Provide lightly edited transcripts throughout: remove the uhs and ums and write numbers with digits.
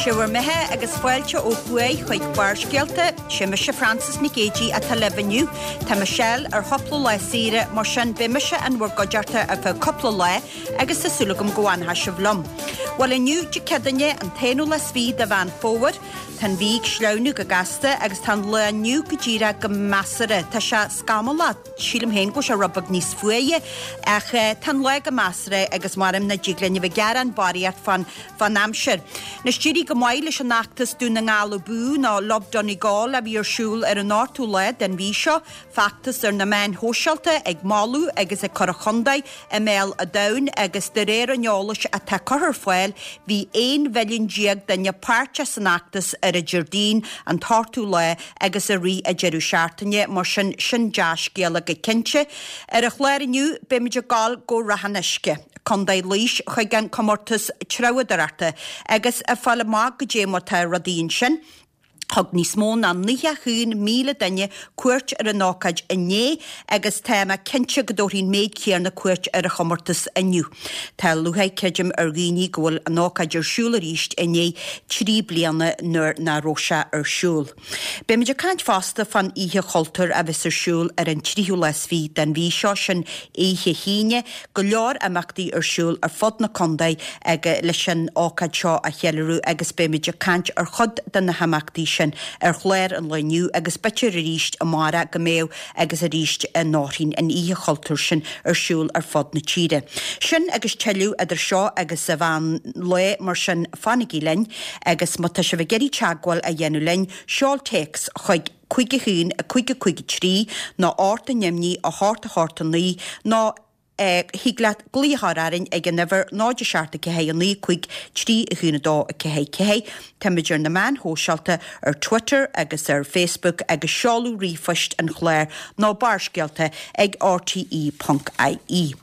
Sé bhur mbeatha agus fáilte ó thuaidh chuig Barrscéalta. Sé mise Frances Nic Géadaigh atá libh inniu. Tá Michelle ar chúpla lá saoire, mar sin beidh mise in bhur gcuideachta ar feadh cúpla lá agus tá súil agam go bhfanfaidh sibh liom. Bhuel inniu, Dé Céadaoine, an t-aonú lá is fiche de Mheán Fómhair, tá an mhí ag sleamhnú go gasta agus tá an lá inniu go díreach go measartha. Tá sé scamallach. Sílim féin go bhfuil sé rud beag níos fuaire, ach tá an lá go measartha agus maram nach dtig linn a bheith ag gearán barraíocht fán fán aimsir. Anois d'éirigh go maith leis an fheachtas Dún na nGall Abú nó Love Donegal a bhí ar siúl ar an ochtú lá den mhí seo, feachtas ar na meáin shóisialta ag moladh agus ag cur an chontae i mbéal an domhain agus de réir an eolais atá curtha ar fáil bhí 11 mhilliún duine páirteach san fheachtas ar an Déardaoin an t-ochtú lá agus i rith an deireadh seachtaine, mar sin, sin dea-scéala go cinnte. Ar an chlár inniu, beimid ag dul go Ráth an Uisce, Contae Laois, chuig an comórtas treabhadóireachta agus ag fáil amach goidé mar tá rudaí ansin. Thug níos mó ná 91,000 duine cuairt ar an ócáid inné agus tá mé cinnte go dtabharfaidh an méid céanna cuairt ar an chomórtas inniu. Tá lúcháir, creidim, ar dhaoine go bhfuil an ócáid ar siúl arís i ndiaidh 3 bliana nuair nach raibh sé ar siúl. Beimid ag caint fosta fán Oíche Chultúir a bheas ar siúl ar an tríú lá is fiche den mhí seo, sin oíche hAoine. Go leor imeachtaí ar siúl ar fud na contae ag leis an ócáid seo a cheiliúradh agus beimid ag caint ar chuid de na himeachtaí sin ar chlár an lae inniu agus b'fhéidir arís amárach go mbeidh agus arís an Déardaoin, an Oíche Chultúir sin ar siúl ar fud na tíre. Sin agus tuilleadh idir seo agus an mheán lae, mar sin fanaigí linn agus má tá sibh ag iarraidh teagmháil a dhéanamh linn, seol téacs chuig 5 1 5 5 3 nó 8 9 8 8 9 nó thig leat glaoch a chur orainn ag an uimhir 0 7 4 9 5 3 1 2 4 4. Táimid ar na meáin shóisialta ar Twitter agus ar Facebook agus seoladh ríomhphoist an chláir ná Barrscéalta ag rte.ie.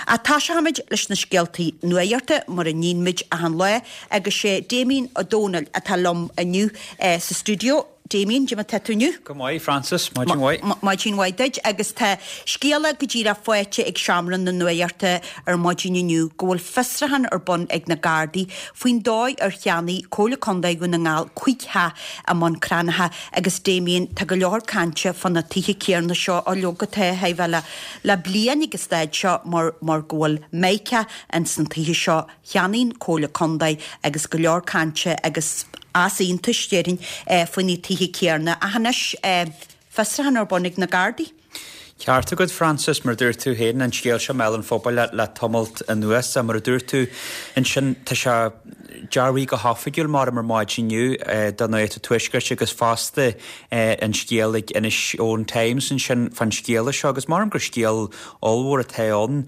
Ach toiseochaimid leis na scéaltaí nuachta mar a níonn muid achan lá agus sé Damien Ó Dónaill atá liom inniu sa stiúideo. Damien, goidé mar tá tú inniu? Go maith, Frances, maidin mhaith. Maidin mhaith duit. Agus tá scéala go díreach faighte ag Seomra na Nuachta ar maidin inniu go bhfuil fiosrúchán ar bun ag na Gardaí faoin dóigh ar cheannaigh Comhairle Contae Dhún na nGall 5 theach i mBun Cranncha agus Damien, tá go leor cainte fá na tithe céanna seo, ó leoga tá a bheith le le bliain ag an staid seo mar mar go bhfuil mica ins na tithe seo. Cheannaigh an Comhairle Contae agus go leor cainte agus easaontais, déarfainn, faoi na tithe céanna. Ach anois, fiosrúchán ar bun ag na Gardaí. Ceart agat, Frances, mar a dúirt tú féin, an scéal seo i mbéal an phobail le tamalt anuas. Mar a dúirt tú ansin, tá sé dearbhaithe go hoifigiúil maram ar maidin inniu do Nuacht an Tuaiscirt agus fosta an scéal ag Inishowen Times ansin fán scéala seo agus maram gur scéal ollmhór atá ann.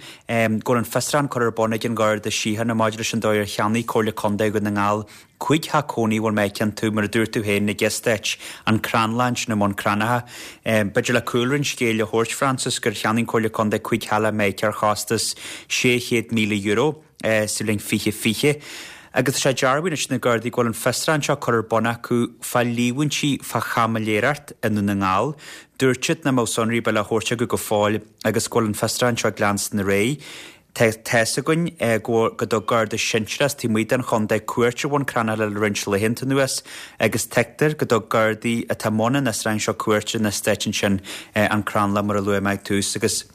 Go bhfuil an fiosrúchán curtha ar bun ag an Gharda Síochána maidir leis an dóigh ar cheannaigh Comhairle Contae Dhún na nGall 5 theach cónaí a bhfuil mica iontu, mar a dúirt tú féin, ag eastát an Crannlann sin i mBun Cranncha. B'fhéidir le cúlra an scéil a thabhairt, Frances, gur cheannaigh an Comhairle Contae 5 theach le mica ar chostas €600,000 sa bhliain 2020. Agus tá sé dearbhaithe anois ag na Gardaí go bhfuil an fiosrúchán seo curtha ar bun acu fá líomhaintí fá chaimiléireacht i nDún na nGall. Dúirt siad nach mbeadh sonraí ar bith le thabhairt acu go fóill agus go bhfuil an fiosrúchán seo ag leanstan ar aghaidh. Tá fhios againn go dtug Garda sinsearach as taobh amuigh den chontae cuairt ar Bhun Cranncha le roinnt laethanta anuas agus tuigtear go dtug Gardaí atá i mbun an fhiosrúcháin seo cuairt ar an eastát ansin, an Crannlann mar a luaigh mé ag tús agus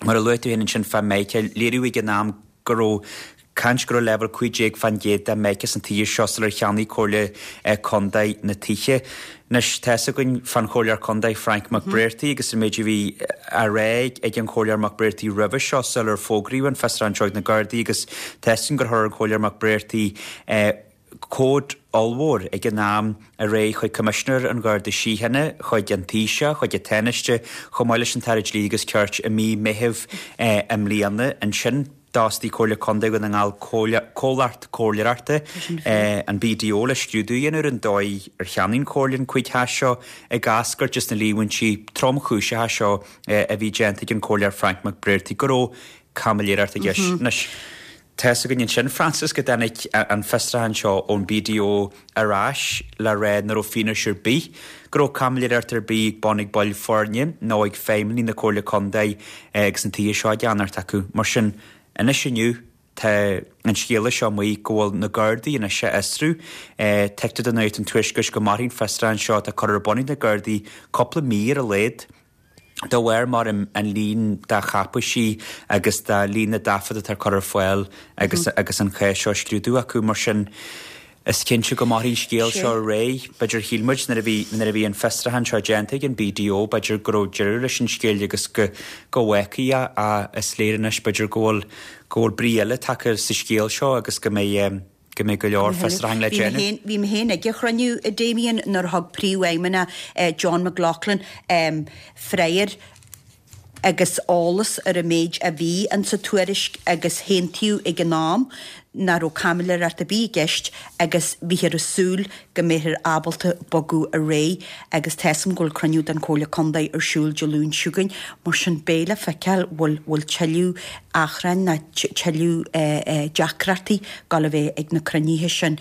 mar a luaigh tú féin ansin fá mica, léiríodh ag an am go raibh caint go raibh leibhéal 15% de mica sna tithe seo sular cheannaigh Comhairle Contae na tithe. Anois, tá fhios againn fán Chomhairleoir Contae Frank McBrearty agus an méid a bhí á rá ag an Chomhairleoir McBrearty roimhe seo sular fógraíodh an fiosrúchán seo ag na Gardaí agus tá fhios againn gur chuir an Comhairleoir McBrearty comhad ollmhór ag an am ar aghaidh chuig Coimisinéir an Gharda Síochána, chuig an Taoiseach, chuig an Tánaiste, chomh maith leis an tAire Dlí agus Cirt i mí Meithimh i mbliana. Ansin d'fhostaigh Comhairle Contae Dhún na nGall comhlacht comhairleoireachta, an BDO, le scrúdú a dhéanamh ar an dóigh ar cheannaigh an Chomhairle an 5 theach seo ag eascairt as na líomhaintí tromchúiseacha seo a bhí déanta ag an Chomhairleoir Frank McBrearty go raibh caimiléireacht i gceist. Anois. Tá fhios againn ansin, Frances, go dtáinig an fiosrúchán seo ón BDO ar ais le rá nach raibh fianaise ar bith go raibh caimiléireacht ar bith ag bun ag baill foirne nó ag feidhmeannaigh na Comhairle Contae agus na tithe seo á gceannacht acu. Mar sin, anois inniu. Tá an scéala seo amuigh go bhfuil na Gardaí anois á fhiosrú. Tuigtear do Nuacht an Tuaiscirt go mairfidh an fiosrúchán seo atá curtha ar bun ag na Gardaí cúpla mí ar a laghad. De bharr mar an líon de cháipéisí agus de líon na dtaifead atá curtha ar fáil agus agus an cás seo á scrúdú acu. Mar sin, is cinnte go mairfidh an scéal seo ar aghaidh. B'fhéidir shíl muid nuair a bhí nuair a bhí an fiosrúchán seo déanta ag an BDO b'fhéidir go raibh deireadh leis an scéal agus go go bhfágfaí é ach is léir anois b'fhéidir go bhfuil go bhfuil brí eile tagtha sa scéal seo agus go mbeidh go mbeidh go leor fiosrúchán le déanamh. Bhí mé féin ag an chruinniú, a Damien, nuair a thug Príomhfheidhmeannach John McLaughlin freagair agus eolas ar an méid a bhí insa tuairisc agus haontaíodh ag an am nach raibh caimiléireacht ar bith i gceist agus bhíthear ag súil go mbeifear ábalta bogadh ar aghaidh agus tá 'fhios a'm go bhfuil cruinniú den Chomhairle Contae ar siúl Dé Luain seo chugainn mar sin beidh le feiceáil bhfuil bhfuil tuilleadh achrainn ná tuilleadh deacrachtaí ag gabháil a bheith ag na cruinnithe sin.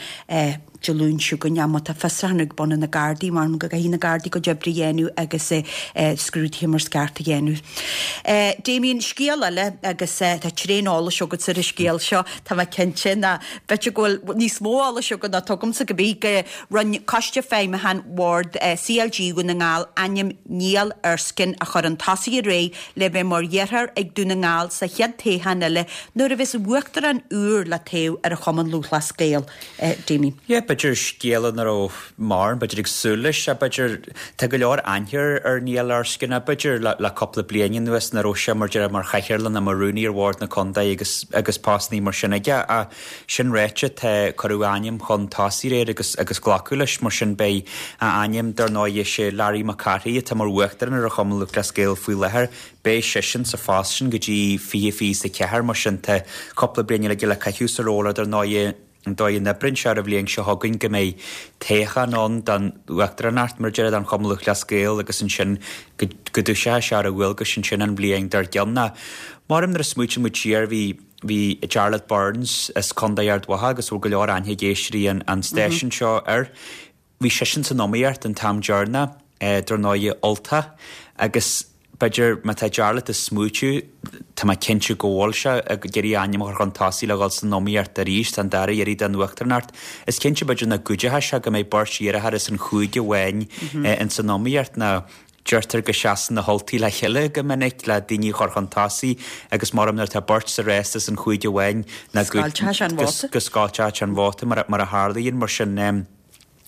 Dé Luain seo chugainn. Ach má tá fiosrúchán ar bun ag na Gardaí, measaim go gcaithfidh na Gardaí a gcuid oibre a dhéanamh agus scrúduithe mar is ceart a dhéanamh. Damien, scéal eile agus tá tréan eolais agatsa ar an scéal seo, tá mé cinnte, ná b'fhéidir go bhfuil níos mó eolais agat ná tugamsa go bith, go rinne Coiste Feidhmiúcháin Bhord CLG Dhún na nGall ainm Niall Erskine a chur chun tosaigh aréir le bheith mar iarrthóir ag Dún na nGall sa chéad toghchán eile nuair a bheas uachtarán úr le toghadh ar an Chumann Lúthchleas Gael. Damien. Yeah, b'fhéidir scéala nach raibh mórán, b'fhéidir ag súil leis, b'fhéidir, tá go leor aithne ar Niall Erskine, b'fhéidir le cúpla bliain anuas nuair a raibh sé mar déarfá mar chathaoirleach nó mar rúnaí ar bhord na contae agus agus postannaí mar sin aige ach sin ráite tá cuireadh a ainm chun tosaigh aréir agus agus glacadh leis mar sin beidh a ainm dar ndóigh is é Larry Mac Cárthaigh atá mar uachtarán ar an Chumann Lúthchleas Gael faoi láthair Beidh seisean sa phost sin go dtí 2024, mar sin tá cúpla bliain eile aige le caitheamh sa ról ach dar ndóigh an dóigh a n-oibríonn sé ar an bhliain seo chugainn go mbeidh toghchán ann don uachtaránacht, mar a déarfá, don Chumann Lúthchleas Gael agus ansin go dtoiseoidh sé ar a dhualgais ansin an bhliain dár gcionn. Ach maram nuair a smaoitíonn muid siar bhí bhí Jarlath Burns as Contae Ard Mhacha agus bhfuil go leor aithne ag éisteoirí an stáisiúin seo air. Bhí seisean san iomaíocht an t-am deireanach, dar ndóigh, Ultach, agus b'fhéidir má tá Jarlath ag smaoitiú, tá mé cinnte go bhfuil sé ag iarraidh a ainm a chur chun tosaigh le dhul san iomaíocht arís don dara iarraidh don uachtaránacht. Is cinnte b'fhéidir nach gcuideoidh sé go mbeidh beirt iarrthóir as an chúige amháin ins an iomaíocht nó deirtear go seasann na hUltaigh le chéile go minic le daoine a chur chun tosaigh agus maram nuair atá beirt sa rás as an chúige amháin ná go Scoilteadh sé an vóta. go scoilteadh sé an vóta mar a tharlaíonn mar sin.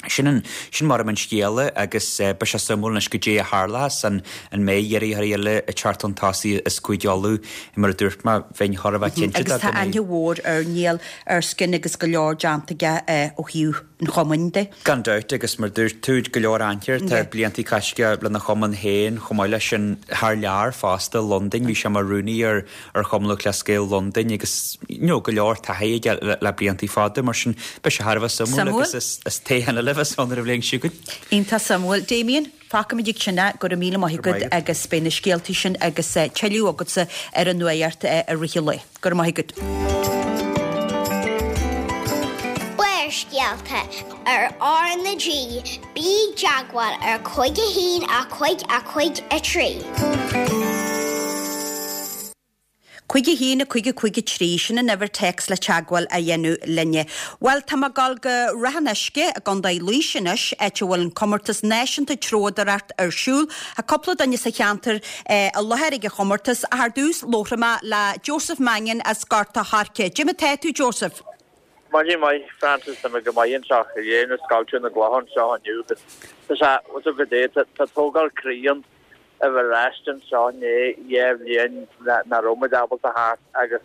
Sin an, sin maram an scéala agus beidh sé suimiúil anois goidé a tharlóchas, an mbeidh iarrthóirí eile ag teacht chun tosaigh as Cúige Uladh, mar a dúirt mé, bheinn chóir a bheith cinnte de Agus tá go mbeidh. aithne mhór ar Niall Erskine agus go leor déanta aige ó thaobh an chumainn de. Gan dabht, agus mar a dúirt tú, go leor aithne air, tá blianta caite aige lena chumann féin, chomh maith leis sin thar lear fosta, Londain, bhí sé mar rúnaí ar ar Chumann Lúthchleas Gael Londain agus you know go leor taithí aige le blianta fada mar sin beidh sé thar a bheith suimiúil agus is is toghchán eile a bheas ann ar an bhliain seo chugainn. Iontach suimiúil. Damien, fágfaimid ag sin é, go raibh míle maith agat agus beidh na scéaltaí sin agus tuilleadh agatsa ar an nuacht i rith an lae. Go raibh maith agat. Barrscéalta ar R na G, bí i dteagmháil ar 5 1 5 5 3. 5 1 5 5 3, sin an uimhir téacs le teagmháil a dhéanamh linne. Bhuel, tá mé ag dul go Ráth an Uisce i gContae Laois anois, áit a bhfuil an comórtas náisiúnta treabhdóireacht ar siúl. Tá cúpla duine sa cheantar i láthair ag an chomórtas. Ach ar dtús, labharfaidh mé le Joseph Mannion as Gort a' Choirce. Cad é mar atá tú, Joseph? Maidin mhaith, Frances, tá mé go maith anseo. Ag déanamh scoilteadh na gcloch anseo inniu agus tá sé, bhfuil tú go dé, tá tógáil croí ann a bheith ar ais anseo i ndiaidh 2 bhliain nach raibh muid ábalta theacht agus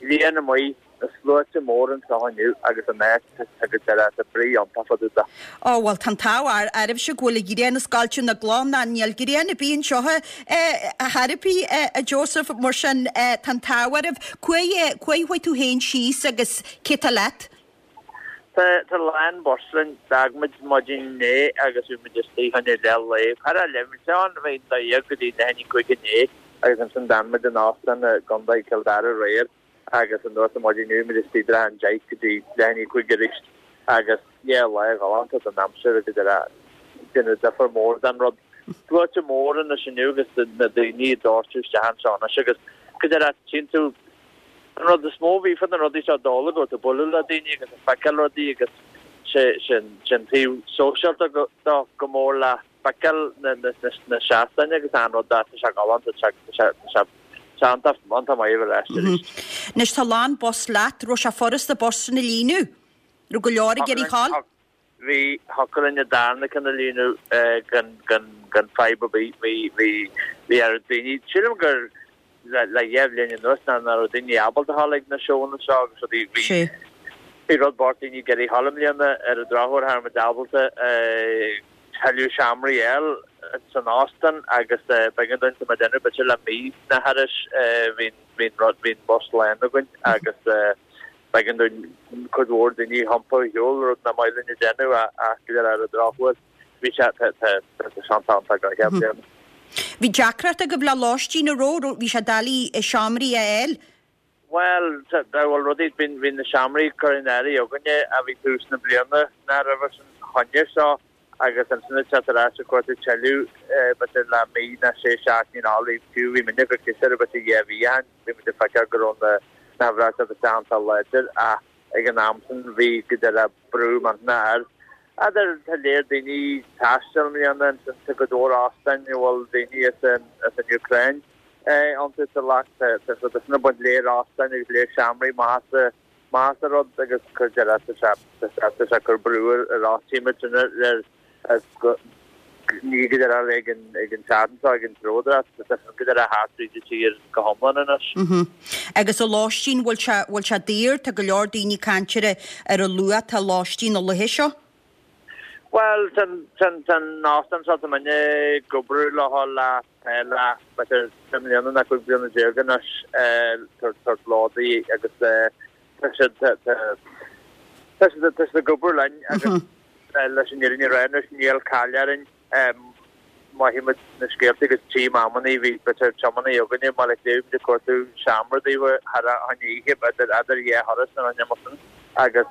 grian amuigh, na sluaite mór anseo inniu agus an áit tá go deireadh, tá brí iontach fá dtaobh de. Ó bhuel tá an t-ádh oraibhse go bhfuil an ghrian ag scoilteadh na gcloch ná níl grian ar bith anseo chor ar bith a Joseph mar sin tá an t-ádh oraibh. Cá chuaigh tú féin síos agus cé tá leat? Tá a lán bus linn. D'fhág muid maidin inné agus bhí muid istigh fá choinne leath lae. Char fhan muid ann bhí an dá go dtí leath i ndiaidh 5 inné agus ansin d'fhan muid in óstán i gContae Chill Dara aréir agus anuas ar maidin inniu bhí muid istigh idir an 10 go dtí leath i ndiaidh 5 arís agus yeah lá galánta don aimsir agus ag déanamh difear mór don rud. Sluaite mór anois inniu agus na daoine ag doirteadh isteach anseo anois agus go deireadh tchíonn tú. An rud is mó a bhí fá na rudaí seo dóla go raibh tú ag bualadh le daoine agus ag feiceáil rudaí agus sé sin sin taobh sóisialta dó go mór le feiceáil na na seastáin agus an rud tá sé galánta tá sé tá sé tá iontach iontach maith a bheith ar ais arís. Anois tá lán bus leat, raibh sé furasta bus sin a líonadh? Raibh go leor ag iarraidh a ghabháil? Bhí, thiocfadh linn an darna ceann a líonadh gan, gan, gan fadhb ar bith. Bhí, bhí, bhí ar daoine, sílim gur le, le dhéá bhliain anuas ná, ná raibh daoine ábalta a ghabháil ag na seóanna seo agus rudaí. Bhí, Sea. bhí rud bocht daoine ag iarraidh a ghabháil i mbliana ar an drochuair cha raibh muid ábalta tuilleadh seomraí a fháil san óstán agus b'éigean dúinn tá muid ag déanamh b'fhéidir le mí nó thairis bhí, bhí an rud, bhí an bus lán againn agus B'éigean dúinn cuid mhór daoine a iompar ar shiúl, rud nach maith linn a dhéanamh ach go ar an drochuair bhí sé tá sé iontach go deo bliana. Bhí deacracht agaibh le lóistín an raibh, bhí sé doiligh seomraí a fháil? Bhuel, bhuel rudaí, bhí na seomraí curtha in áirithe againne a bhí tús na bliana ná roimhe sin choinne seo agus ansin ag teacht ar ais ag cuartú tuilleadh b'fhéidir le mí nó sé seachtainí nó fiú bhí muidne ag cur b'fhéidir dhá mhí ó shin. Bhí muid ag feiceáil go raibh na huimhreacha ag teacht isteach iontach láidir ach ag an am sin bhí go deire brú millteanach air. Idir tá léir daoine ag taisteal i mbliana ansin tá go leor óstáin a bhfuil daoine as an as an Úcráin iontu sa leacht tá tá tá sin ag baint léir óstáin agus léir seomraí maith as maith as an rud agus go deire tá sé tá sé tá sé ag cur brú ar ar áitímid sin ar ar Ní go deire ag an ag an tseachtain seo ag an dródras tá go deire thart tríd an tír go hiomlán anois. Agus an lóistín, bhfuil sé bhfuil sé daor? Tá go leor daoine ag caint ar ar an luach atá lóistín na laetha seo. Bhuel tá tá tá an óstán seo tá muidne ag oibriú leo le le b'fhéidir 10 mbliana nó 15 bliana anois tabhairt lódaí agus tá siad tá tá siad tá siad ag oibriú linn agus Leis an fhírinne a rá anois, níl caill orainn. Mothaímid na scéalta agus tchím amannaí, bhí b'fhéidir tiománaí againne i mBaile Átha Cliath, bhí muid ag cuartú seomra daofa thar a choinne oíche, idir dhá thuras nó rud mar sin agus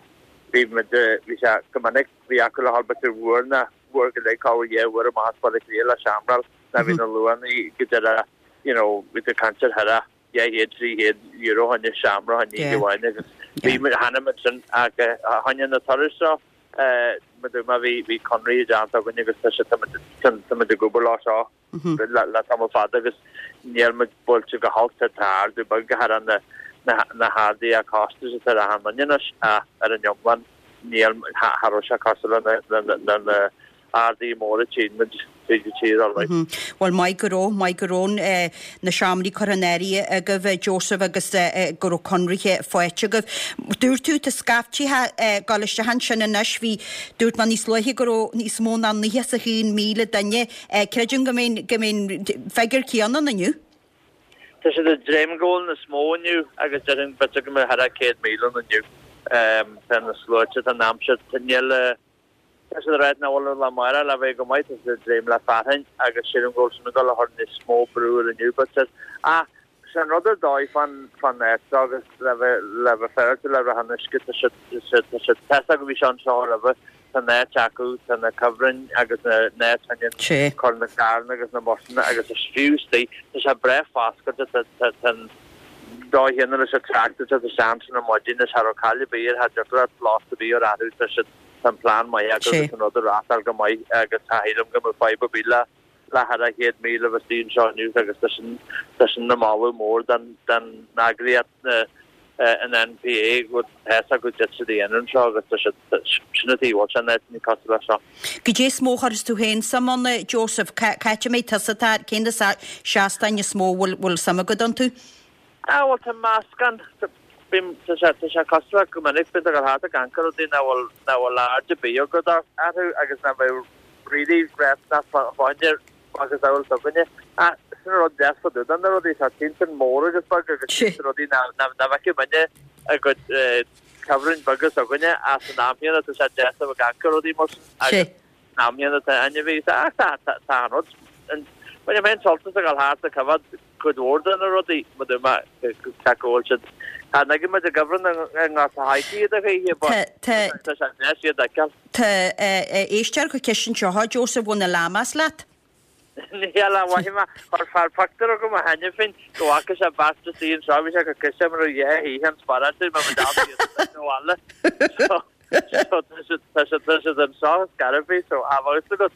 bhí muid, bhí sé go minic, bhí acu le dhul b'fhéidir uair nó uair go leith, corruair dhá uair amach as Baile Átha Cliath le seomra a fháil ná bhí na luachannaí go deireadh, you know, bhí tú ag caint ar thar a. 200, 300 euro choinne seomra choinne oíche amháin agus bhí muid, chonaic muid sin ach choinne na turais seo mar dúirt mé bhí bhí conraí déanta againn agus tá sé tá muid tá muid ag obair leo seo le le tamall fada agus níl muid buailte go holc tá tá ardú beag go thar na na na harduithe costais atá ar achan duine anois ach ar an iomlán níl cha raibh sé cosúil le na na na arduithe móra tchíonn muid tríd an tír alright. Bhuel, maith go raibh, maith go raibh na seomraí curtha in áirithe agaibh, Joseph, agus go raibh conraithe faighte agaibh. Dúirt tú, tá scaiftithe ag dul isteach ansin anois, bhí, dúirt mé níos luaithe go raibh níos mó ná 91,000 duine. Creidim go mbeidh, go mbeidh an figiúr céanna ann inniu. Tá siad ag dréim go bhfuil níos mó inniu agus déarfainn b'fhéidir go mbeidh thar a 100,000 ann inniu. Tá na sluaite, tá an aimsir, níl, Tá siad ag ráit nach bhfuil an lá amárach le bheith go maith, tá siad ag dréim le fearthainn agus sílim go bhfuil sin ag dul a chur níos mó brú ar inniu b'fhéidir. Ach sé an rud ar dóigh fán fán áit seo agus le bheith le bheith féaráilte le Ráth an Uisce tá siad tá siad tá siad tá a fhios acu bhí seo anseo roimhe, tá an áit acu, tá na cuibhrinn agus na na áit choinne Sé. cur na gcarranna agus na busanna agus is fiú istigh tá sé breá foscailte tá tá tá an dóigh chéanna leis an trácht atá isteach ansin ar maidin is cha raibh caill ar bith air cha dtiocfadh leat locht ar bith a chur orthu tá siad Tá an plean maith acu agus an rud ag reáchtáil go maith agus cha shílim go mbeadh fadhb ar bith le le thar a 100,000 a bheith istigh anseo inniu agus tá sin tá sin ina moladh mór don don eagraíocht an NPA go bhfuil a fhios acu cad tá siad a dhéanamh anseo agus tá siad sin an taobh bhfuil sé in áiteanna cosúil leis seo. Goidé is mó a chuirfeas tú féin suim ann, Joseph? Cá háit a mbeidh tusa tá cé na seastáin is mó a bhfuil bhfuil suim agat iontu? Ah bhuel tá meascán, bím, tá sé, tá sé cosúil le go minic bíonn tú ag dul thart ag amharc ar rudaí nach bhfuil, nach bhfuil aird ar bith agat orthu agus nach mbeadh really nach fáinne macasamhail s'againne. Ach sin an rud deas fá dtaobh de na rudaí, tá tchíonn tú mór agus beag agus tchíonn tú rudaí nach, nach, nach bhfeicfeadh muidne i gcuid cuibhrinn beaga s'againne ach san am chéanna tá sé deas a bheith ag amharc ar rudaí mar sin agus san am chéanna tá ainmhí, ach tá, tá, tá an rud, bainim féin sult as a dhul thart ag coimhéad cuid mhór de na rudaí, mar dúirt mé, tá go bhfuil siad, tá an muid i gcuibhreann i nGort a' Choirce iad a choíche, but Tá, tá sé deas iad a fheiceáil. tá, éisteoir ag cur ceist anseo, Joseph, bhfuil na llamas leat? Níl a mhaith mé, chuir fear pictiúr chugam cheana féin go bhfaca sé beirt istigh anseo, bhí sé go cliste mar a bheadh oíche an sparáiste mar ba deas iad sa bhaile. So, so tá siad, tá siad, tá siad anseo ar scor ar bith, so a bheadh fhios agat.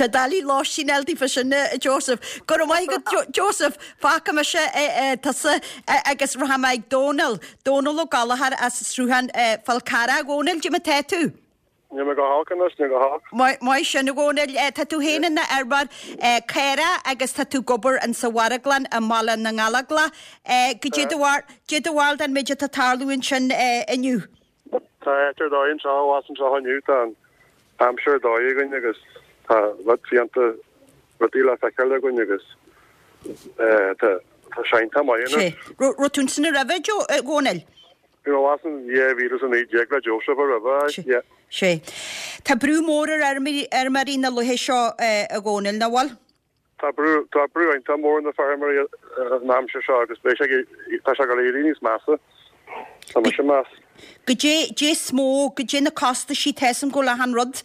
Tá doiligh lóistín a fháil daofa sin, a Joseph. Go raibh maith agat, Joseph. Fágfaidh mise tusa agus rachaidh mé ag Dónal. Dónal Ó Gallchóir as Sruthán Fál Carrach. A Dhónaill, cad é mar tá tú? Níl mé go holc anois, níl go holc. Maith sin, a Dhónaill. Tá tú féin ina fheirmeoir caorach agus tá tú ag obair insa mharglann i mBaile na nGallóglach. Goidé do bharúil den méid atá ag tarlú ansin inniu? Tá áit ar dóigh anseo, abhus anseo inniu, tá an aimsir ar dóigh againn agus tá rud fiánta, rudaí le feiceáil againn agus tá sé iontach maith anois. Raibh tú ansin roimhe, a Dhónaill? Bhí mé abhus in 2019 le Joseph roimhe, yeah. Sea. Tá brú mór ar fheirmeoirí na laetha seo, a Dhónaill, nach bhfuil? Tá brú, tá brú iontach mór ar na feirmeoirí an aimsir seo agus beidh sé ag, tá sé ag dul éirí níos measa. Tá mise ag meas. Goidé, goidé is mó, goidé na costaisí, tá 'fhios a'm go bhfuil achan rud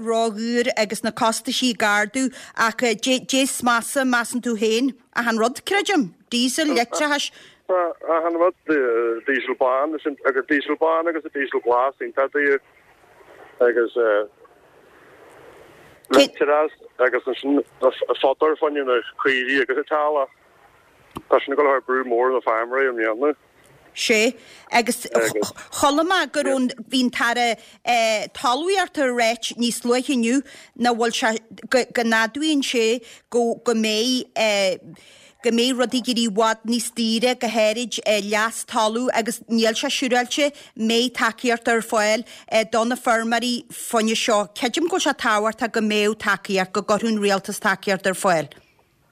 ródhaor agus na costaisí ag ardú ach goidé, goidé is measa, measann tú féin? Achan rud, creidim. Diesel, leictreachas. Tá achan rud, diesel bán, agus diesel bán agus diesel glas iontach daor agus leictreachas agus ansin fodar fá choinne na caoirigh agus an teaghlach. Tá sin ag dul a chur brú mór ar na feirmeoirí i mbliana. Sea, agus chuala mé go raibh an, bhí an tAire Talmhaíochta ag ráit níos luaithe inniu nach bhfuil sé, go, go n-admhaíonn sé go, go mbeidh, go mbeidh rudaí ag éirí i bhfad níos daoire, go háirid leas talaimh agus níl sé siúráilte mbeidh tacaíocht ar fáil do na feirmeoirí fá choinne seo. Creidim go bhfuil sé tábhachtach go mbeadh tacaíocht, go gcuirfeadh an rialtas tacaíocht ar fáil.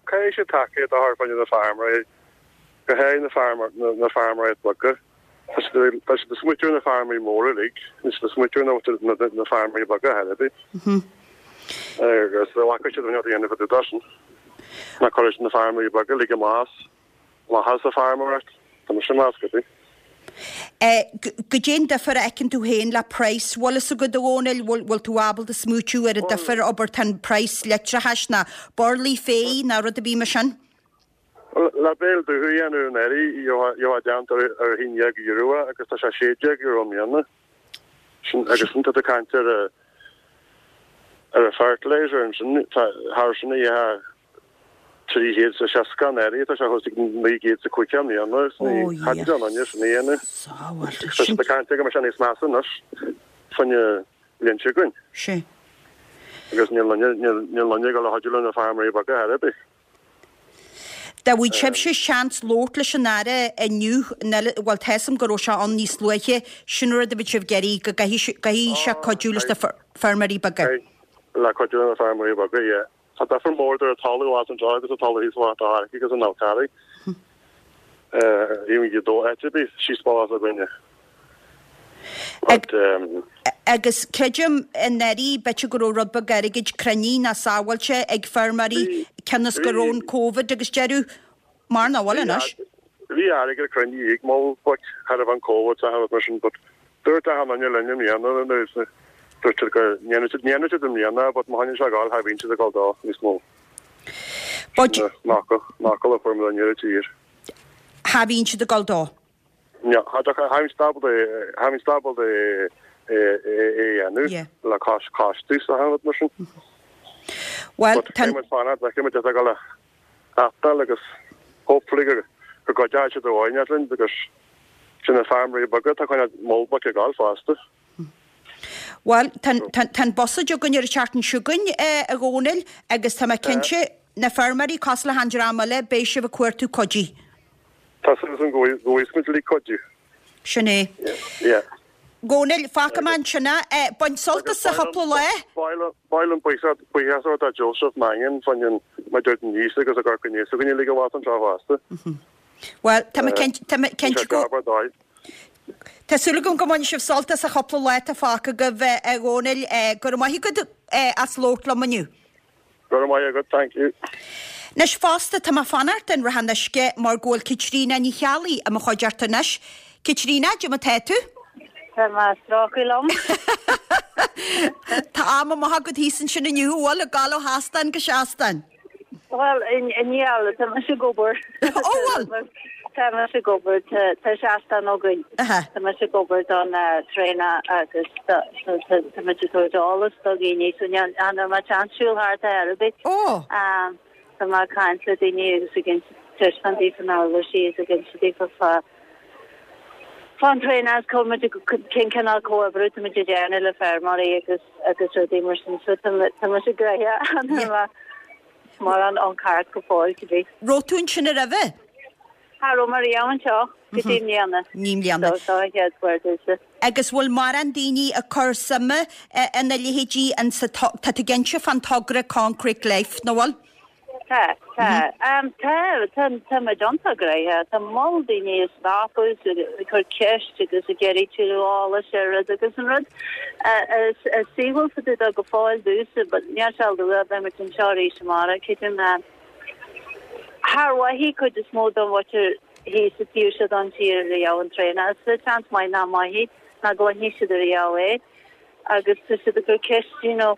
Caithfidh siad tacaíocht a chur fá choinne na feirmeoirí, go háirithe na na feirmeoirí beaga. Tá siad tá siad ag smaoitiú ar na feirmeoirí móra uilig, níl siad ag smaoitiú ar na na feirmeoirí beaga ar bith. Agus an bhfaca siad rud a dhéanamh fá dtaobh de sin. Ná cuirfidh siad na feirmeoirí beaga uilig amach as amach as an feirmeoireacht. Tá mise ag meas go dtí. Goidé an difear a fheiceann tú féin le praghas, bhfuil fhios agat a Dhónaill, bhfuil tú ábalta smaoitiú ar an difear, abair tá an praghas leictreachais ná burlaí féir ná rud ar bith mar sin? Le béal dubh a dhéanamh anuraidh, gheofá déanta ar €11 é agus tá sé €16 i mbliana. Sin agus sin tá tú ag caint ar ar an fertilizer ansin, thar sin a gheofá 360 anuraidh, tá sé thuas ag 950 i mbliana, is ní thig le duine sin a dhéanamh. Tá siad ag caint go mbeidh sé níos measa anois fá choinne an bhliain seo chugainn. Sea. Agus níl duine, níl duine ag dul a chuidiú le na feirmeoirí beaga ar bith. Dá bhfaigheadh sibhse seans labhairt leis an Aire inniu, bhuel tá 'fhios a'm go raibh sé ann níos luaithe, sin an rud a bheadh sibh ag iarraidh, go gcaithfidh sé cuidiú leis na feirmeoirí beaga. Le cuidiú leis na feirmeoirí beaga, yeah. Tá difear mór idir an talamh abhus anseo agus an talamh thíos i Ard Carraigh agus an Fhál Carraigh. Even go dó áit ar bith síos bealach s'againne. But um. Agus creidim anuraidh b'fhéidir go raibh rud beag airgid cruinnithe ná sábháilte ag feirmeoirí cionn is go raibh an Covid agus deireadh mar nach bhfuil anois. Bhí airgead cruinnithe ag moll but cha raibh an Covid sa rud mar sin but dúirt achan duine linn i mbliana nó dúirt siad go ndéanfaidh siad ndéanfaidh siad i mbliana but má choinníonn sé ag gabháil cha bhíonn siad ag gabháil dó níos mó. But Sin an fhocal an fhocal a fuair mé i ndeireadh tír. Cha bhíonn siad ag gabháil dó. No, cha cha bhíonn siad ábalta cha bhíonn siad ábalta é é é a dhéanamh le cos costas achan rud mar sin. Well But tá muid fanacht feicfidh muid ag gabháil a happenáil agus hopefully go go gcuideoidh siad uainn linn because sin na feirmeoirí beaga atá coinneáil moll boic ag gabháil fosta. Bhuel, tá tá tá an buiséad againn ar an tseachtain seo chugainn, a Dhónaill, agus tá mé cinnte, na feirmeoirí cosúil le achan dream eile, beidh sibh ag cuartú cuidiú. Tá súil agam go bhfaighidh muid uilig cuidiú. Sin é. Yeah. Dhónaill, fágfaidh mé ansin é. Bain sult as an chúpla lá. Ba mhaith liom buíochas a thabhairt do Joseph Mangan fá choinne mar dúirt an níos agus a gcur chun níos againn uilig abhus anseo fosta. Bhuel, tá mé cinnte, tá mé cinnte go. Tá súil agam go mbainfidh sibh sult as an chúpla lá atá fágtha agaibh, a Dhónaill. Go raibh maith agat as labhairt liom inniu. Go raibh maith agat, thank you. Anois fosta, tá mé ag fanacht in Ráth an Uisce mar go bhfuil Caitríona Ní Cheallaigh i mo chuideachta anois. Caitríona, cad é mar tá tú? Tá mé ag strócadh liom. Tá am amach agat thíos ansin inniu, an bhfuil, ag gabháil ó sheastán go seastán? Bhuel, níl, tá mise ag obair. Ó, bhfuil? Tá mise ag obair, tá seastán againn. Tá mise ag obair don traonach agus tá muid ag tabhairt eolas do dhaoine, so níl mé seans siúl thart ar bith. Ó! Tá mé ag caint le daoine agus ag taispeáint daofa na huirlisí agus ag inse daofa fá fán traonach is cá muid cén cineál comhoibriú tá muid ag déanamh le feirmeoirí agus agus rudaí mar sin so tá tá mise gnoitheach mórán on cart go fóill cibé. Raibh tú ansin roimhe? Cha raibh mé riamh anseo go dtí i mbliana. Ní i mbliana. So seo an chéad uair domhsa. Agus bhfuil mórán daoine ag cur suime ina leithéidí insa tá tú ag inse fán togra Concrete Life, nó bhfuil? Tá, tá. Tá, tá, tá muid iontach gnoitheach. Tá moll daoine ag stopadh is ag cur ceist agus ag iarraidh tuilleadh eolais ar rud agus an rud is saoithiúil fá dtaobh de go fóill domhsa, but níl sé luath, beidh muid anseo arís amárach, creidim, ná char mhothaigh cuid is mó den mhuintir thíos sa taobh seo den tír riamh an traonach. Is seans maith nach mothaigh ná go gcluinfidh siad ariamh é. agus tá siad ag cur ceist you know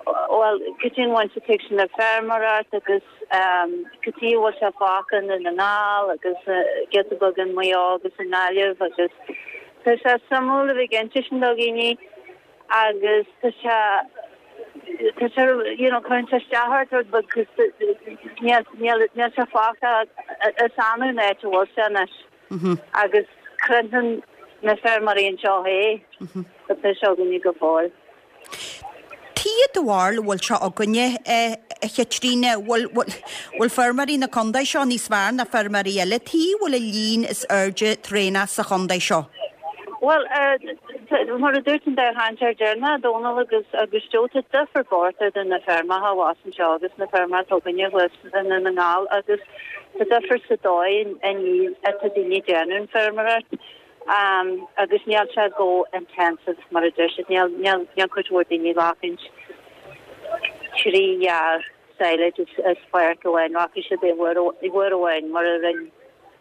bhuel cad é an bhaint atá ag sin le feirmeoireacht agus cad chuige a bhfuil sé fágtha i nDún na nGall agus giota beag in Maigh Eo agus i nGaillimh agus tá sé suimiúil a bheith ag inse sin do dhaoine agus tá sé tá sé you know cuireann sé isteach ort rud beag cos níl níl níl sé fágtha is annamh an áit a bhfuil sé anois. Agus cluineann na feirmeoirí anseo é, tá sé againne go fóill. Tuige do bharúil a bhfuil sé againne, a Chaitríona, bhfuil, bhfuil feirmeoirí na contae seo níos fearr ná feirmeoirí eile? Tuige a bhfuil an líon is airde traonach sa chontae seo? Bhuel, mar a dúirt an dá chainteoir deireanach, Dónal agus agus Joe, tá difear bocht idir na feirmeacha abhus anseo agus na feirmeacha atá againne thuas i nDún na nGall agus tá difear sa dóigh atá daoine ag déanamh an feirmeoireacht agus níl sé chomh intensive mar a deir siad, níl níl níl cuid mhór daoine ag glacaint 3 ghearr silage as páirc amháin, rachaidh siad i uair uair amháin mar a rinne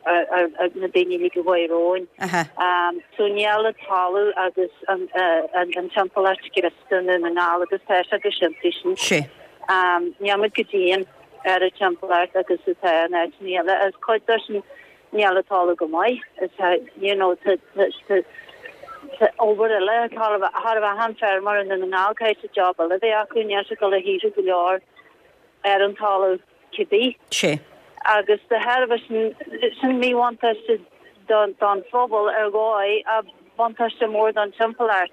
na daoine uilig a chuaigh romhainn. So níl an talamh agus an an timpeallacht scriosta i nDún na nGall agus tá sé go simplí sin. Sé. Níl muid chomh dian ar an timpeallacht agus atá in áiteanna eile. Is cuid de sin níl an talamh go maith. Is you know tá tá obair eile chóir a bheith achan feirmeoir i nDún na nGall caithfidh siad job eile a bheith acu níl siad ag dul a shaothrú go leor ar an talamh cibé. Sé. Agus de thairbhe sin sin míbhuntáiste don don phobal ar dhóigh ach buntáiste mór don timpeallacht.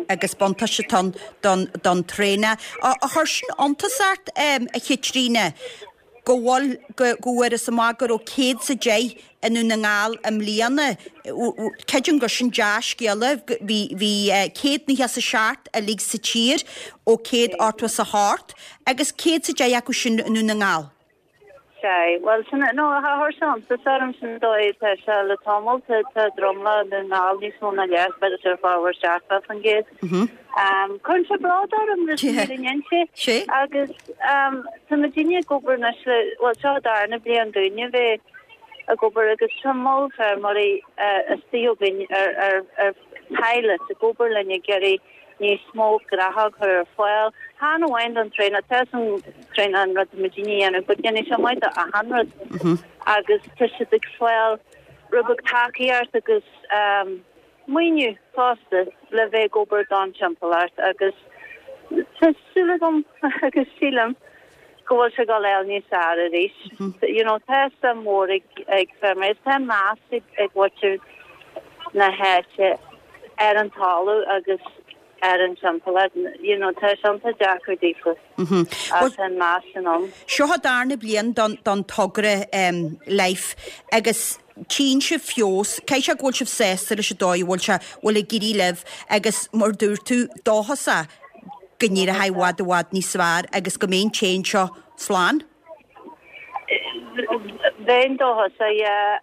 Agus buntáiste don don don traonach. Ar chuir sin iontas ort, a Chaitríona, go bhfuil, go go bhfuarthas amach go raibh 110 i nDún na nGall i mbliana. Creidim gur sin dea-scéala. Bhí bhí 197 uilig sa tír ó 188 agus 110 acu sin i nDún na nGall. Sea, bhuel, sin, no, chuir sé iontas orm sin dóigh atá sé le tamall, tá, tá dromlach i nDún na nGall níos mó ná leath, b'fhéidir sé formhór 70%. Cuireann sé bród orm leis an fhírinne a inse. Sea. Agus tá muidinne ag obair anois le, bhuel, seo an darna bliain dúinne a bheith ag obair agus tá moll feirmeoirí istigh againn ar, ar, ar pilot ag obair linn ag iarraidh níos mó gnáthóg a chur ar fáil, chan amháin don traonach, tá an traonach an rud atá muidinne a dhéanamh, but déanfaidh sé maith do achan rud agus tá siad ag fáil rud beag tacaíocht agus maoiniú fosta le bheith ag obair don timpeallacht agus tá súil agam agus sílim go bhfuil sé ag dul a fháil níos fearr arís. You know, tá suim mhór ag ag feirmeoirí, tá meas ag ag mhuintir na háite ar an talamh agus ar an timpeallacht. You know, tá sé iontach deacair daofa ach tá an meas sin ann. Seo an darna bliain don don togra Life agus tchíonn sibh feabhas, caithfidh sé go bhfuil sibh sásta leis an dóigh a bhfuil sé, bhfuil ag éirí libh agus mar dúirt tú, dóchasach go n-éireoidh i bhfad i bhfad níos fearr agus go mbeidh an t-éan seo slán. Bheinn dóchasach, yeah.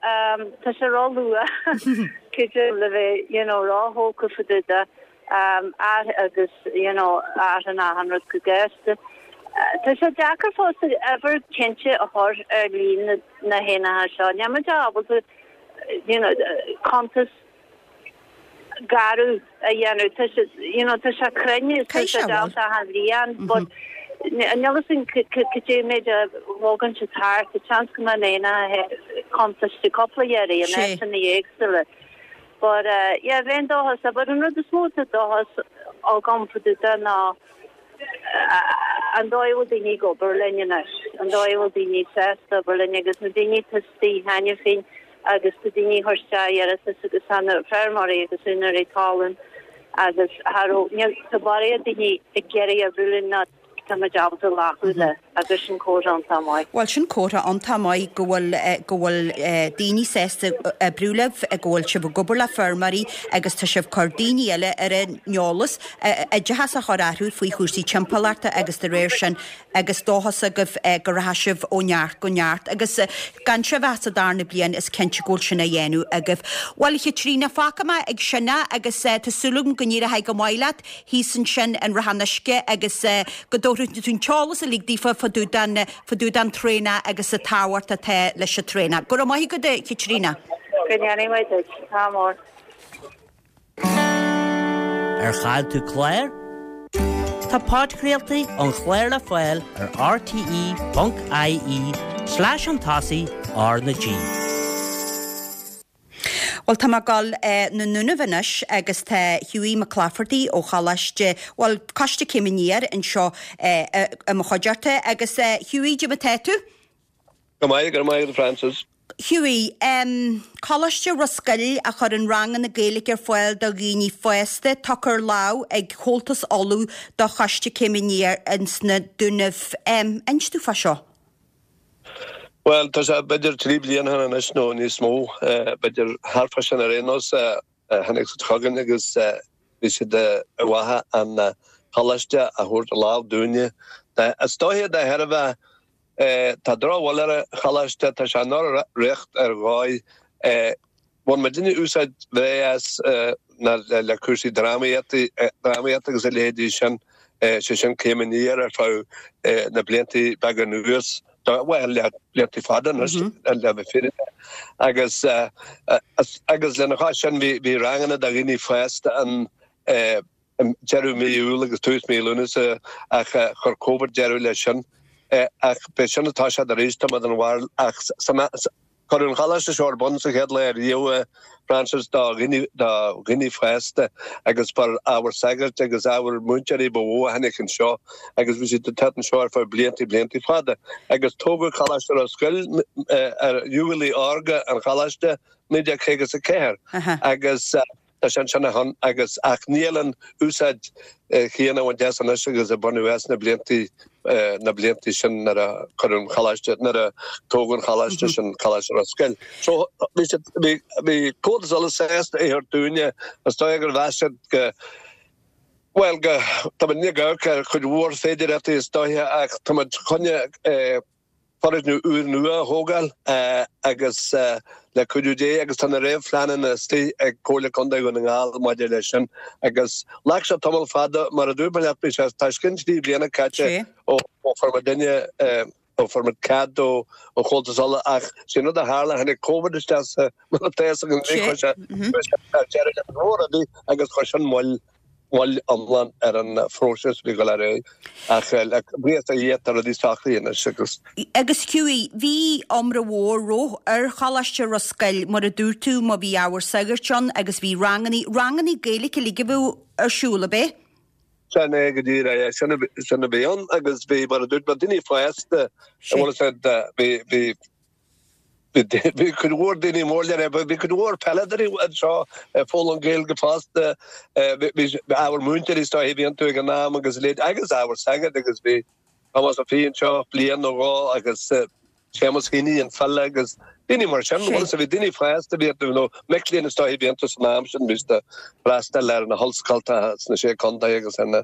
Tá sé ró-luath, creidim, le bheith, you know, ró-thógtha fá dtaobh de, agus, you know, athraíonn achan rud go gasta. Tá sé deacair fosta uimhir cinnte a chur ar líon na héanacha seo. Níl muid ábalta, you know, cuntas. garbh a dhéanamh. Tá sé, you know, tá sé cruinn is tá sé déanta achan bhliain but níl fhios againn cad é an méid a bhogann siad thart. Tá seans go mbeidh an aonach contráilte cúpla iarraidh in áiteanna éagsúla. But yeah, bheinn dóchasach. But an rud is mó atá dóchas agam fá dtaobh de ná an dóigh a bhfuil daoine ag obair linn anois, an dóigh a bhfuil daoine sásta obair linn agus na daoine atá istigh cheana féin agus tá daoine ag cur isteach iarratas agus tá na feirmeoirí agus úinéirí talún agus cha raibh, níl, tá barraíocht daoine ag iarraidh oibriú linn ná tá muid ábalta glacadh le agus sin comhartha iontach maith. Bhuel sin comhartha iontach maith go bhfuil, go bhfuil daoine sásta oibriú libh, go bhfuil sibh ag obair le feirmeoirí agus tá sibh ag cur daoine eile ar an eolas, oideachas a chur orthu faoi chúrsaí timpeallachta agus de réir sin agus dóchas agaibh go rachaidh sibh ó neart go neart agus gan sibh ach sa darna bliain is cinnte go bhfuil sin á dhéanamh agaibh. Bhuel a Chaitríona, fágfaidh mé ag sin é agus tá súil agam go n-éireoidh go maith leat thíos ansin in Ráth an Uisce agus go dtabharfaidh tú an t-eolas uilig daofa fá dtaobh den, fá dtaobh den traonach agus an tábhacht atá leis an traonach. Go raibh maith agat a Chaitríona. Go ndéanaí maith duit. Ádh mór. Ar chaill tú clár? Tá podchraoltaí an chláir le fáil ar rte.ie slash chun tosaigh R na G. Bhuel, tá mé ag dul na nDúnaibh anois agus tá Hughie McClafferty ó Choláiste, bhuel, Coiste Céim Aniar anseo i mo chuideachta. Agus Hughie, cad é mar atá tú? Go maith, go raibh maith agat a Francis. Hughie, Coláiste Ros Goill a chuireann ranganna Gaeilge ar fáil do dhaoine fásta, tugtha ar lámh ag Comhaltas Uladh do Choiste Céim Aniar ins na Dúnaibh. Inis domh fá seo. Bhuel, tá sé b'fhéidir 3 bliana ó shin anois nó níos mó, b'fhéidir thart fá sin ar aon nós, tháinig siad chugainn agus bhí siad ar mhaithe an choláiste a thabhairt ar lámh dúinne. Is dóiche de thairbhe Tá drochbhail ar an choláiste, tá sé i ndroch-riocht ar dhóigh. Bhain muidinne úsáid bhreá as le cúrsaí drámaíochta agus a leithéidí sin, sé sin Céim Aniar ar feadh na blianta beaga anuas, bhuel le blianta fada anois le bheith fírinneach. Agus agus lena chois sin bhí ranganna do dhaoine fásta ann deireadh mí Iúil agus tús mí Lúnasa ach chuir Covid deireadh leis sin. Ach b'é sin atá siad arís, tá mé den bharúil. Ach cuireadh an choláiste seo ar bun sa chéad lá riamh, a Francis, do dhaoine, do dhaoine fásta agus ba ábhar sagairt agus ábhar múinteoirí ba mhó a tháinig anseo agus bhí siad ag teacht anseo ar feadh blianta, blianta fada. Agus tógadh Coláiste Ros Goill ar ualaí órga an choláiste 1954 agus Tá sé ansin ó shin agus ach níl an úsáid chéanna á baint as anois agus a baineadh as na blianta na blianta sin nuair a cuireadh an choláiste nuair a tógadh an choláiste sin Coláiste Ros Goill. So bhí siad bhí bhí Comhaltas Uladh sásta é a thabhairt dúinne is dóigh gur mheas siad go bhuel go tá muid ag amharc ar chuid mhór féidearthachtaí is dóiche ach tá muid chun foirgneamh úr nua a thógáil agus le cuidiú Dé agus tá na réamhphleananna istigh ag Comhairle Contae Dhún na nGall maidir leis sin agus ghlac sé tamall fada mar a dúirt mé leat bhí sé tá os cionn 3 bliana caite ó fuair muidinne ó fuair muid cead ó Chomhaltas Uladh ach sé an rud a tharla tháinig Covid isteach sa mar atá fhios againn chuir sé deireadh le go leor rudaí agus chuir sin moill moill iomlán ar an phróiseas a bhí ag dul ar aghaidh ach le buíochas do Dhia tá rudaí socraithe anois agus. Agus Hughie, bhí iomrá mhór roimhe ar Choláiste Ros Goill, mar a dúirt tú, má bhí ábhar sagairt ann agus bhí rangannaí, rangannaí Gaeilge uilig a bhíodh ar siúl, ab é? Sin é go díreach é, sin a, sin a bhí ann agus bhí, mar a dúirt mé, daoine fásta, bhfuil a fhios agat, bhí, bhí, Bhí cuid mhór daoine mór le rá, bhí cuid mhór peileadóirí anseo ag foghlaim Gaeilge fosta. Bhí ábhar múinteoirí is dóiche a bhí iontu ag an am agus a leithéid agus ábhar sagart agus bhí Tomás Ó Fiaich anseo bliain nó dhó agus Séamus Heaney an file agus daoine mar sin. Bhuel, bhí daoine fásta a bhí iontu nó mic léinn is dóiche a bhí iontu san am sin, bhí siad ag freastal ar na hollscoltacha sna Sé Contae agus ar na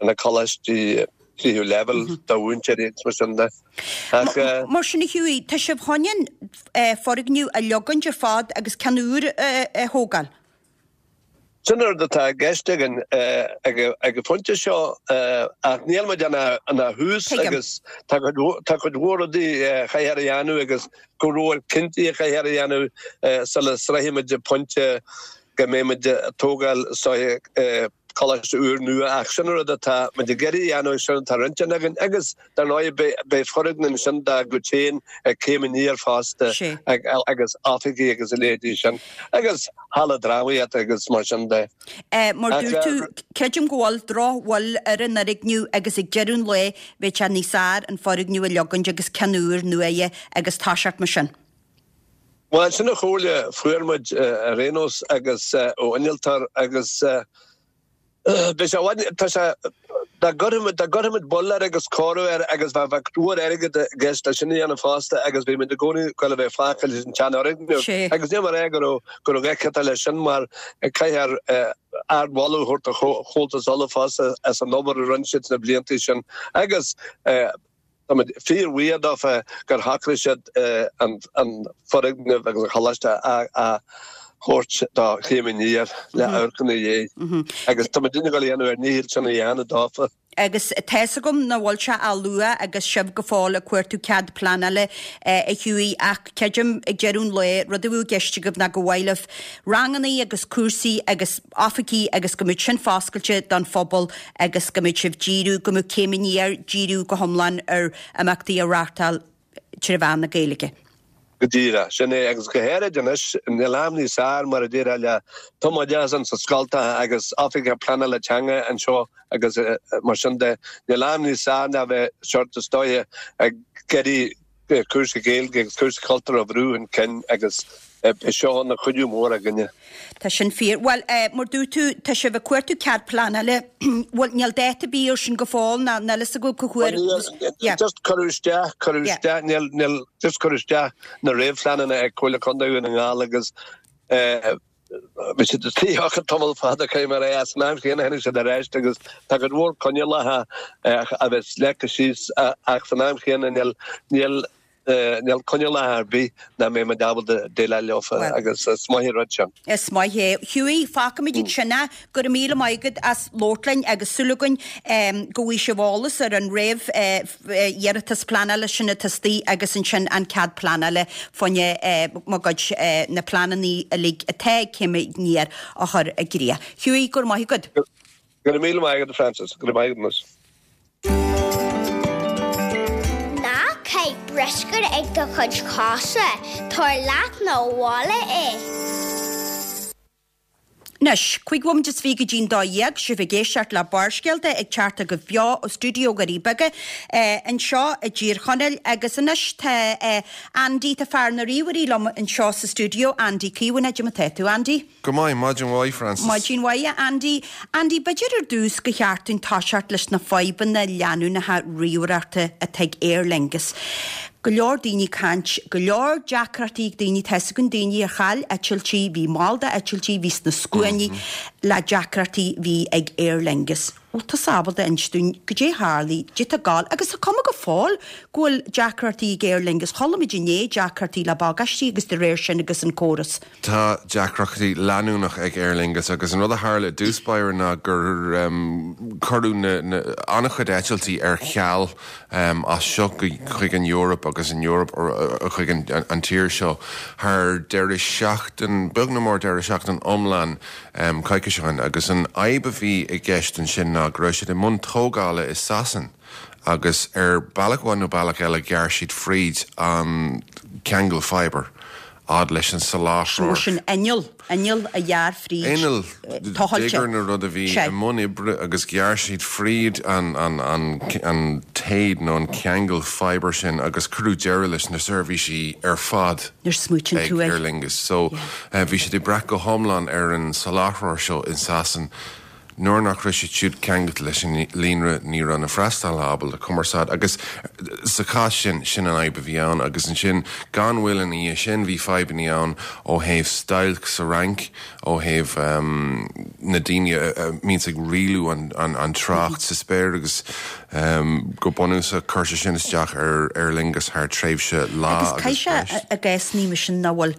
na coláistí tríú leibhéal do mhúinteoirí agus mar sin de. Ach. Mar sin a Hughie, tá sibh chun an foirgneamh a leogaint ar fad agus ceann úr a thógáil? Sin an rud atá i gceist againn ag an phointe seo ach níl muid ina thús agus tá cuid mhór rudaí a chaithfear a dhéanamh agus go leor cinntí a chaithfear a dhéanamh sula sroichfimid an pointe. go mbeidh muid ag tógáil is dóiche coláiste úr nua ach sin an rud atá muid ag iarraidh a dhéanamh, sin atá ar intinn againn agus dar ndóigh beidh foirgneamh ansin dár gcuid féin ag Céim Aniar fosta agus oifigí agus a leithéidí sin agus halla drámaíochta agus mar sin de. Mar dúirt tú, creidim go bhfuil drochbhail ar an fhoirgneamh agus ag deireadh an lae bheadh sé níos fhearr an foirgneamh a leogaint agus ceann úr nua a agus toiseacht mar sin. Bhuel, sin an chomhairle a fuair muid ar aon nós agus ó innealtóir agus beidh sé i bhfad, tá sé, dá gcuirfimid, dá gcuirfimid bail air agus cóiriú air agus bheadh, bheadh go leor airgid i gceist leis sin a dhéanamh fosta agus bhí muid i gcónaí ag goil a bheith fágtha leis an tseanfhoirgneamh agus níl mé ag rá go raibh, go raibh gach leis sin mar caithfear ardmholadh a thabhairt do Chomhaltas Uladh fosta as an obair a rinne siad sna blianta sin agus Táimid fíorbhuíoch dófa gur shocraigh siad an foirgneamh agus an choláiste a thabhairt do Chéim Aniar le amharc ina dhiaidh agus táimid ag dul a dhéanamh ár ndícheall sin a dhéanamh dófa. Agus tá's agam nach bhfuil sé ach luath agus sibh go fóill ag cuartú cead pleanála a Hughie ach creidim ag deireadh an lae rud a bheadh i gceist agaibh ná gur mhaith libh rangannaí agus cúrsaí agus oifigí agus go mbeadh sin foscailte don phobal agus go mbeadh sibh díriú, go mbeadh Céim Aniar díriú go hiomlán ar imeachtaí a reáchtáil tré mheán na Gaeilge. Go díreach, sin é, agus go háirid anois, níl am níos fearr, mar a déarfá, le tumoideachas ins na scoltacha agus oifigeach pleanála teanga anseo agus mar sin de, níl am níos fearr ná bheith sort is dóiche ag iarraidh cúrsaí Gaeilge agus cúrsaí cultúir a bhrú chun cinn agus beidh seo ina chuidiú mór againne. Tá sin fíor. Bhuel, mar dúirt tú, tá sibh ag cuartú cead pleanála. Bhuel, níl dáta ar bith ar sin go fóill, ná níl fhios agaibh cá huair. Níl, just cuireadh isteach, cuireadh isteach, níl, níl, just cuireadh isteach na réamhphleananna ag Comhairle Contae Dhún na nGall agus Bhí siad istigh ar feadh tamall fada caithfidh mé a rá san am chéanna tháinig siad ar ais agus tá cuid mhór coinníollacha a bheith leagtha síos ach san am chéanna níl níl níl coinníollacha ar bith nach mbeidh muid ábalta déileáil leofa agus is maith an rud sin. Is maith é. Hughie, fágfaimid ansin é. Go raibh míle maith agat as labhairt linn agus súil againn go bhfaighidh sibh eolas ar an réamh iarratas pleanála sin atá istigh agus ansin an cead pleanála fá choinne mo gcuid na pleananna uilig atá ag Céim Aniar a chur i gcrích. Hughie, go raibh maith agat. Go raibh míle maith agat, Frances. Go raibh maith agat anois. Ná caith bruscar ag do chuid cosa, tabhair leat 'na bhaile é. Anois, 25 bhomaite go dtí'n 12, sibh ag éisteacht le Barrscéalta ag teacht chugaibh beo ó stiúideo Dhoirí Beaga anseo i dTír Chonaill agus anois tá Andy, tá fear na ríomhairí liom anseo sa stiúideo, Andy Caomhánach, cad é mar atá tú, Andy? Go maith, maidin mhaith, Frances. Maidin mhaith, a Andy. Andy, b'fhéidir ar dtús gur cheart dúinn toiseacht leis na fadhbanna leanúnacha ríomhaireachta atá ag Aer Lingus. Go leor daoine ag caint, go leor deacrachtaí ag daoine, tá fhios againn daoine a chaill eitiltí, bhí mall d'eitiltí, bhí sna scuainí le deacrachtaí bhí ag Aer Lingus. Bhfuil tusa ábalta inse dúinn goidé tharlaigh, goidé tá ag gabháil, agus tá cuma go fóill go bhfuil deacrachtaí ag Aer Lingus, chuala muid inné deacrachtaí le bagáistí agus de réir sin agus an córas. Tá deacrachtaí leanúnach ag Aer Lingus agus an rud a tharla i dtús báire ná gur cuireadh an-chuid eitiltí ar ceal as seo chuig an Eoraip agus an Eoraip chuig an tír seo thar deireadh seachtain, beag nó mór deireadh seachtain iomlán coicís ó shin agus an fhadhb a bhí i gceist ansin ná go raibh siad i mbun tógála i Sasain agus ar bealach amháin nó bealach eile ghearr siad fríd an ceangal fibre. fhad leis an soláthróir. Nó sin inneall, inneall a ghearr fríd Inneall, tochailte. digger nó rud a bhí Sea. i mbun oibre agus ghearr siad fríd an, an, an, an téad nó an ceangal fibre sin agus cuireadh deireadh leis na seirbhísí ar fad Nuair smaoitíonn ag tú air. Aer Lingus. So, Yeah. bhí siad ag brath go hiomlán ar an soláthróir seo in Sasain. Nuair nach raibh siad siúd ceangailte leis an líonra ní raibh na freastalaithe ábalta cumarsáid agus sa chás sin, sin an fhadhb a bhí ann agus ansin gan mhoill ina dhiaidh sin bhí fadhbanna ann ó thaobh stailc sa Fhrainc, ó thaobh na daoine a mbíonns ag rialú an trácht sa spéir agus go bunúsach chuir sé sin isteach ar Aer Lingus thar tréimhse lá Agus agus caithfidh sé breis. i gcás mar sin nach bhfuil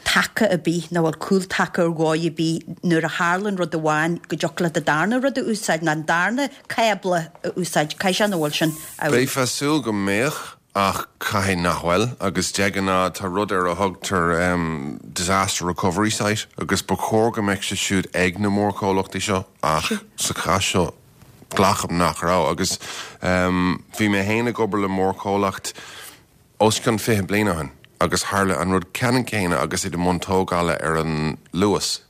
taca ar bith, nach bhfuil cúltaca ar dhóigh ar bith nuair a tharlaíonn rud amháin go dtiocfadh leat an darna rud a úsáid, nó an darna cábla a úsáid, caithfidh sé nach bhfuil sin amhlaidh. Bheifeá ag súil go mbeadh. Ach caithfidh nach bhfuil, agus de ghnáth tá rud ar a thugtar disaster recovery site agus ba chóir go mbeadh siad siúd ag na mórchomhlachtaí seo ach sa chás seo glacaim nach raibh. Agus bhí mé féin ag obair le mórchomhlacht os cionn 20 bliain ó shin agus tharla an rud ceannann céanna agus iad i mbun tógála ar an Luas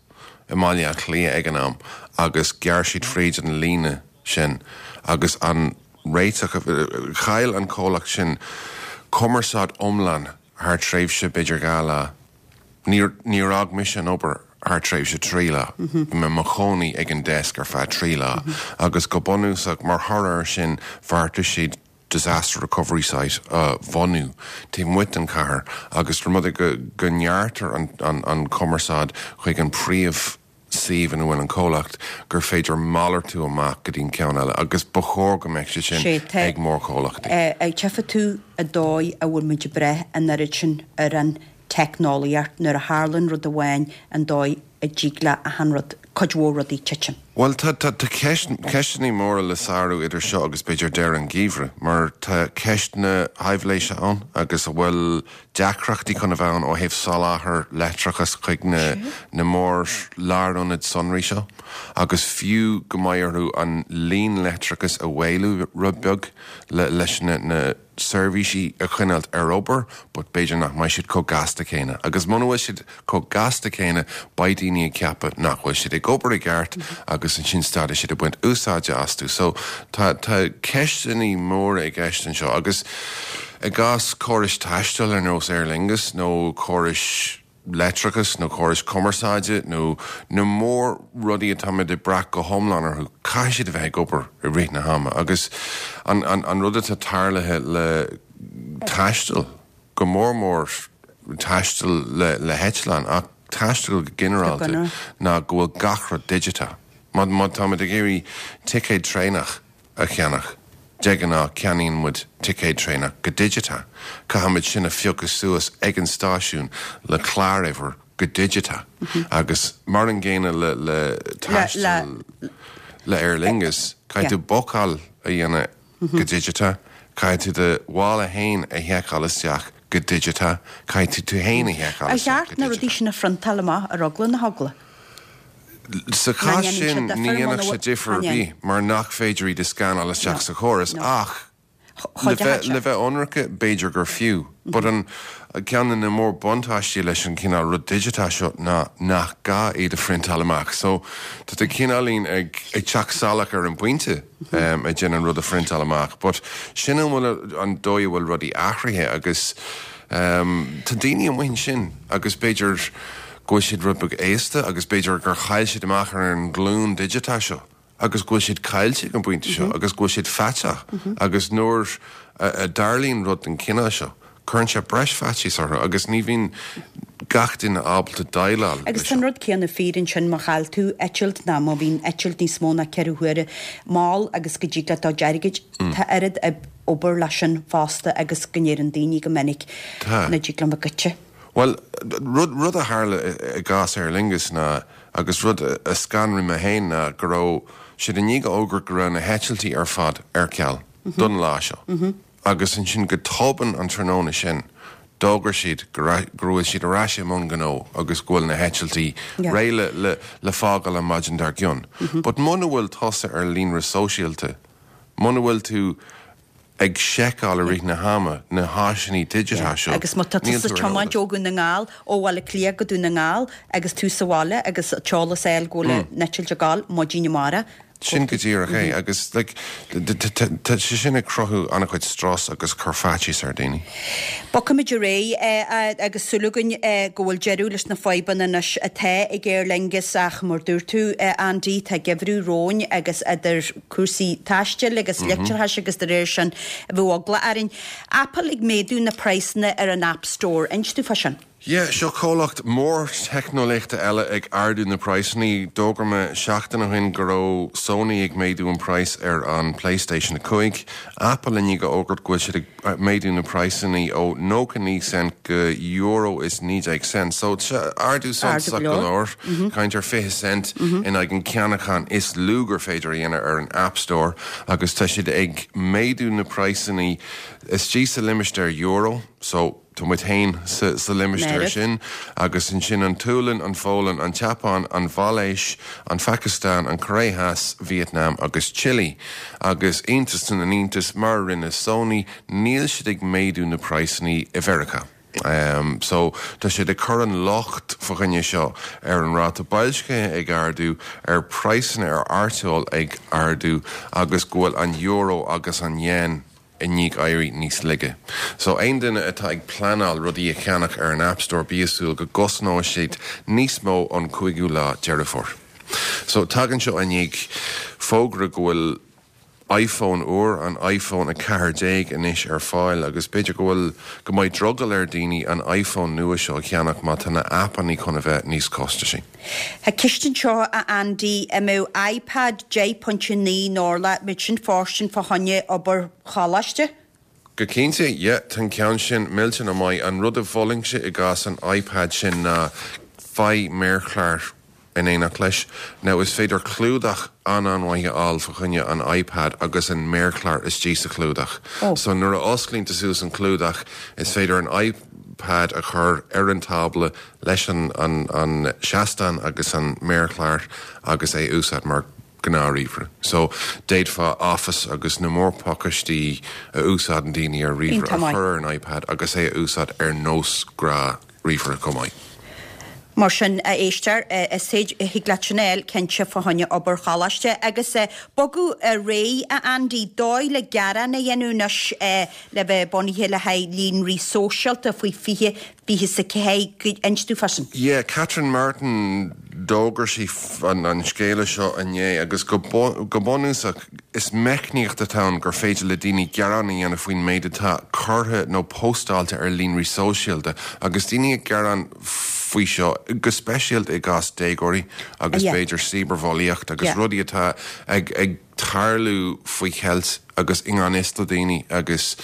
i mBaile Átha Cliath ag an am agus ghearr siad fríd an líne sin agus an réiteach. Chaill an comhlacht sin cumarsáid iomlán thar tréimhse b'fhéidir 2 lá. Níor níor fhág mise an obair thar tréimhse 3 lá. Bhí mé i mo chónaí ag an desk ar feadh 3 lá agus go bunúsach mar thoradh air sin bheartaigh siad disaster recovery site a bhunú taobh amuigh den chathair agus rud é go go ngearrtar an an an cumarsáid chuig an príomh suíomh ina bhfuil an comhlacht, gur féidir malartú amach go dtí an ceann eile agus ba chóir go mbeadh sé sin Sé, tá, ag mórchomhlachtaí. Tchífidh tú an dóigh a bhfuil muid ag brath an oiread sin ar an teicneolaíocht, nuair a tharlaíonn rud amháin, an dóigh a dtig le achan rud, cuid mhór rudaí titim. Bhuel, tá, tá, tá ceist, ceisteanna móra le sárú idir seo agus b'fhéidir deireadh an gheimhridh, mar tá ceist na haibhléise ann agus an bhfuil deacrachtaí chun a bheith ann ó thaobh soláthar leictreachais chuig na na mór-lárionaid sonraí seo agus fiú go mbeidh orthu an líon leictreachais a mhaolú rud beag le leis na na seirbhísí a choinneáilt ar obair but b'fhéidir nach mbeidh siad chomh gasta céanna agus muna bhfuil siad chomh gasta céanna, beidh daoine ag ceapadh nach bhfuil siad ag obair i gceart agus ansin stadfaidh siad ag baint úsáide astu. So tá tá ceisteanna móra i gceist anseo agus i gcás córais taistil ar nós Aer Lingus nó córais leictreachais nó córais cumarsáide nó na mór rudaí atáimid ag brath go hiomlán orthu, caithfidh siad a bheith ag obair i rith na hama agus an an an rud atá tarlaithe le taisteal, go mór mór taisteal le heitleán, ach taisteal go ginearálta, ná go bhfuil gach rud digiteach. Má má táimid ag iarraidh ticéad traenach a cheannach, de ghnáth ceannaíonn muid ticéad traenach go digiteach. Caithfimid sin a phiocadh suas ag an stáisiún le cláruimhir go digiteach. Agus mar an gcéanna le le taisteal le Aer Lingus, caithfidh tú bookáil a dhéanamh go digiteach, caithfidh tú do mhála féin a sheiceáil isteach go digiteach, caithfidh tú tú féin a sheiceáil Ar isteach cheart go na rudaí digiteach. sin a phriontáil amach ar eagla na heagla? Sa Ná chás ndéanann sé sin, ní difear muna dhéanfadh sé bhfuil, difear chan ar dhéan. bith mar nach féidir iad a scannáil isteach No, sa chóras no. ach Chomh Le bheith deas. le bheith ionraice, b'fhéidir gur fiú. But an ceann de na mór buntáistí leis an chineál rud digiteach seo ná nach gá iad a phriontáil amach. So tá tú cineáilín ag ag teacht salach ar an bpointe ag déanamh an rud a phriontáil amach. But sin an bhfuil an dóigh a bhfuil rudaí athraithe agus tá daoine amuigh ansin agus b'fhéidir go bhfuil siad rud beag aosta agus b'fhéidir gur chaill siad amach ar an nglúin digiteach seo. agus go bhfuil siad caillte ag an bpointe seo agus go bhfuil siad faiteach agus nuair a dtarlaíonn rud den chineál seo, cuireann sé breis faitíos orthu agus ní bhíonn gach duine ábalta déileáil Agus leis tá an seo. rud céanna fíor ansin má chaill tú eitilt ná má bhíonn eitilt níos mó ná 4 huaire mall agus go dtig leat do chuid airgid, tá oiread obair leis sin fosta agus go ndeireann daoine go minic Tá. nach dtig liom a goitse. Bhuel, rud, rud a tharla i gcás Aer Lingus ná, agus rud a scanraigh mé féin ná go raibh siad i ndiaidh a fhógairt go raibh na heitiltí ar fad ar ceal don lá seo agus ansin go tobann an tráthnóna sin d'fhógair siad go raibh, go bhfuil siad ar ais i mbun gnó agus go bhfuil na heitiltí réidh le, le, le fágáil an maidin dár gcionn. But muna bhfuil tusa ar líonra sóisialta, muna bhfuil tú ag seiceáil i rith na hama na háiseanna digiteacha seo. Agus má tá Níl tusa tú ag ar an tiomáint eolas. ó Dhún na nGall, ó Bhaile Átha Cliath go Dún na nGall agus tú sa bhaile agus an t-eolas a fháil go bhfuil an eitilt ag gabháil maidin amárach, Sin go díreach é agus like tá sé sin ag cruthú an-chuid strus agus cur faitíos ar daoine. Bogfaimid ar aghaidh agus súil againn go bhfuil deireadh leis na fadhbanna anois atá ag Aer Lingus ach mar dúirt tú Andy tá geimhreadh romhainn agus idir cúrsaí taistil agus leictreachais agus de réir sin bheadh eagla orainn. Apple ag méadú na praghsanna ar an App Store. Inis dúinn fá sin. Yeah, seo comhlacht mór teicneolaíochta eile ag ardú na praghsanna. D'fhógair mé seachtain ó shin go raibh Sony ag méadú an praghas ar an PlayStation 5. Apple i ndiaidh a fhógairt go bhfuil siad ag méadú na praghsanna ó 99 cent go euro is 19 cent. So ardú suntasach go leor, caint ar 20 cent in aghaidh an ceannachán is lú gur féidir a dhéanamh ar an App Store agus tá siad ag méadú na praghsanna istigh sa limistéar euro. So. Tá muid féin sa limistéar sin, agus ansin an tSualainn, an Pholainn, an tSeapáin, an Mhalaeis, an Phacastáin, an Choiré Theas, Vítneam agus Chile. Agus iontas na n-iontas, mar a rinne Sony, níl siad ag méadú na praghsanna i Mheiriceá. So, tá siad ag cur an locht fa choinne seo ar an ráta boilscithe ag ardú, ar praghsanna ar artóil ag ardú agus go bhfuil an euro agus an yen i ndiaidh éirí níos laige. So aon duine atá ag pleanáil rudaí a cheannach ar an App Store bí ag súil go gcosnóidh siad níos mó ón 5ú lá Deireadh Fómhair. So tagann seo i ndiaidh fógra go bhfuil iPhone úr, an iPhone 14 anois ar fáil agus b'fhéidir go bhfuil, go mbeidh drogall ar daoine an iPhone nua seo a cheannach má tá na aipeanna chun a bheith níos costaisí. Tá ceist anseo, a Andy, an mbeadh iPad 10.9 in orlach, an mbeadh sin fóirstean fá choinne obair choláiste? Go cinnte, yeah, tá an ceann sin millteanach maith. An rud a mholfainnse i gcás an iPad sin ná faigh méarchlár in éineacht leis. Now is féidir clúdach an-an-mhaith a fháil fa choinne an iPad agus an méarchlár istigh sa chlúdach. So nuair a osclaíonn tú suas an clúdach is féidir an iPad a chur ar an tábla leis an an seastán agus an méarchlár agus é a úsáid mar gnáth-ríomhaire. So, d'fhéadfá Office agus na mórphacáistí a úsáideann daoine ar ríomhaire a chur ar an iPad agus é a úsáid ar nós gnáth-ríomhaire chomh maith. Mar sin, a éisteoir, is féidir, thig leat sin a fháil, cinnte, fá choinne obair choláiste. Agus bogadh ar aghaidh, a Andy, dóigh le gearán a dhéanamh anois le bheith bunaithe le haghaidh líonraí sóisialta faoi 20 24, inis dúinn fá sin. Yeah, Catherine Martin, d'fhógair sí an scéala seo inné agus go bunúsach is meicníocht atá ann gur féidir le daoine gearán a dhéanamh faoin méid atá curtha nó póstáilte ar líonraí sóisialta agus daoine ag gearán faoi seo go speisialta i gcás déagóirí agus b'fhéidir cibearbhulaíocht agus rudaí atá ag tarlú faoi cheilt agus i ngan fhios do dhaoine agus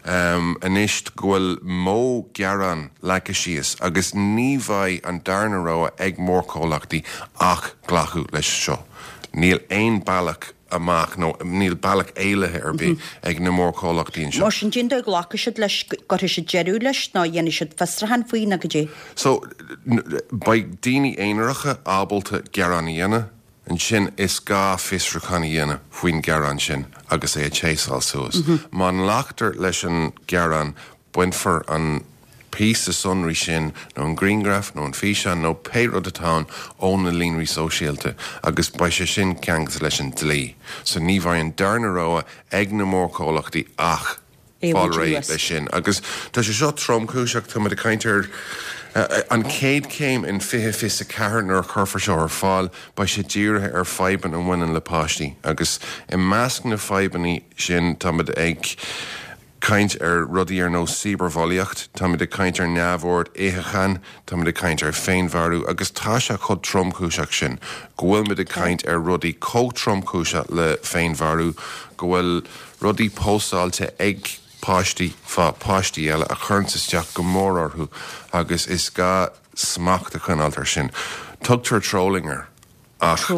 anois go bhfuil modh gearán leagtha síos agus ní bheidh an darna rogha ag mórchomhlachtaí ach glacadh leis seo. Níl aon bealach amach nó níl bealach éalaithe ar bith ag na mórchomhlachtaí anseo. Mar sin, cén dóigh a nglacfaidh siad leis, go gcuirfidh siad deireadh leis nó dhéanfaidh siad fiosrúchán faoi nó goidé? So, beidh daoine aonaracha ábalta gearán a dhéanamh. Ansin is gá fiosrúchán a dhéanamh faoin ghearán sin agus é a théasáil suas. Má nglactar leis an ghearán, bainfear an píosa sonraí sin nó an grianghraf nó an físeán nó pé rud atá ann ó na líonraí sóisialta agus beidh sé sin ceangailte leis an dlí. So ní bheidh an darna rogha ag na mórchomhlachtaí ach fáil réidh leis sin. Agus tá sé seo tromchúiseach, táimid ag caint ar an chéad chéim in 2024 nuair a chuirfear seo ar fáil, beidh sé dírithe ar fadhbanna a bhaineann le páistí agus i measc na fadhbanna sin táimid ag caint ar rudaí ar nós cibearbhulaíocht, táimid ag caint ar neamhord itheacháin, táimid ag caint ar féinmharú agus tá sé chomh tromchúiseach sin go bhfuilimid ag caint ar rudaí chomh tromchúiseach le féinmharú go bhfuil rudaí póstáilte ag páistí fá páistí eile a chuireanns isteach go mór orthu agus is gá smacht a choinneáilt ar sin. Tugtar trolling air ach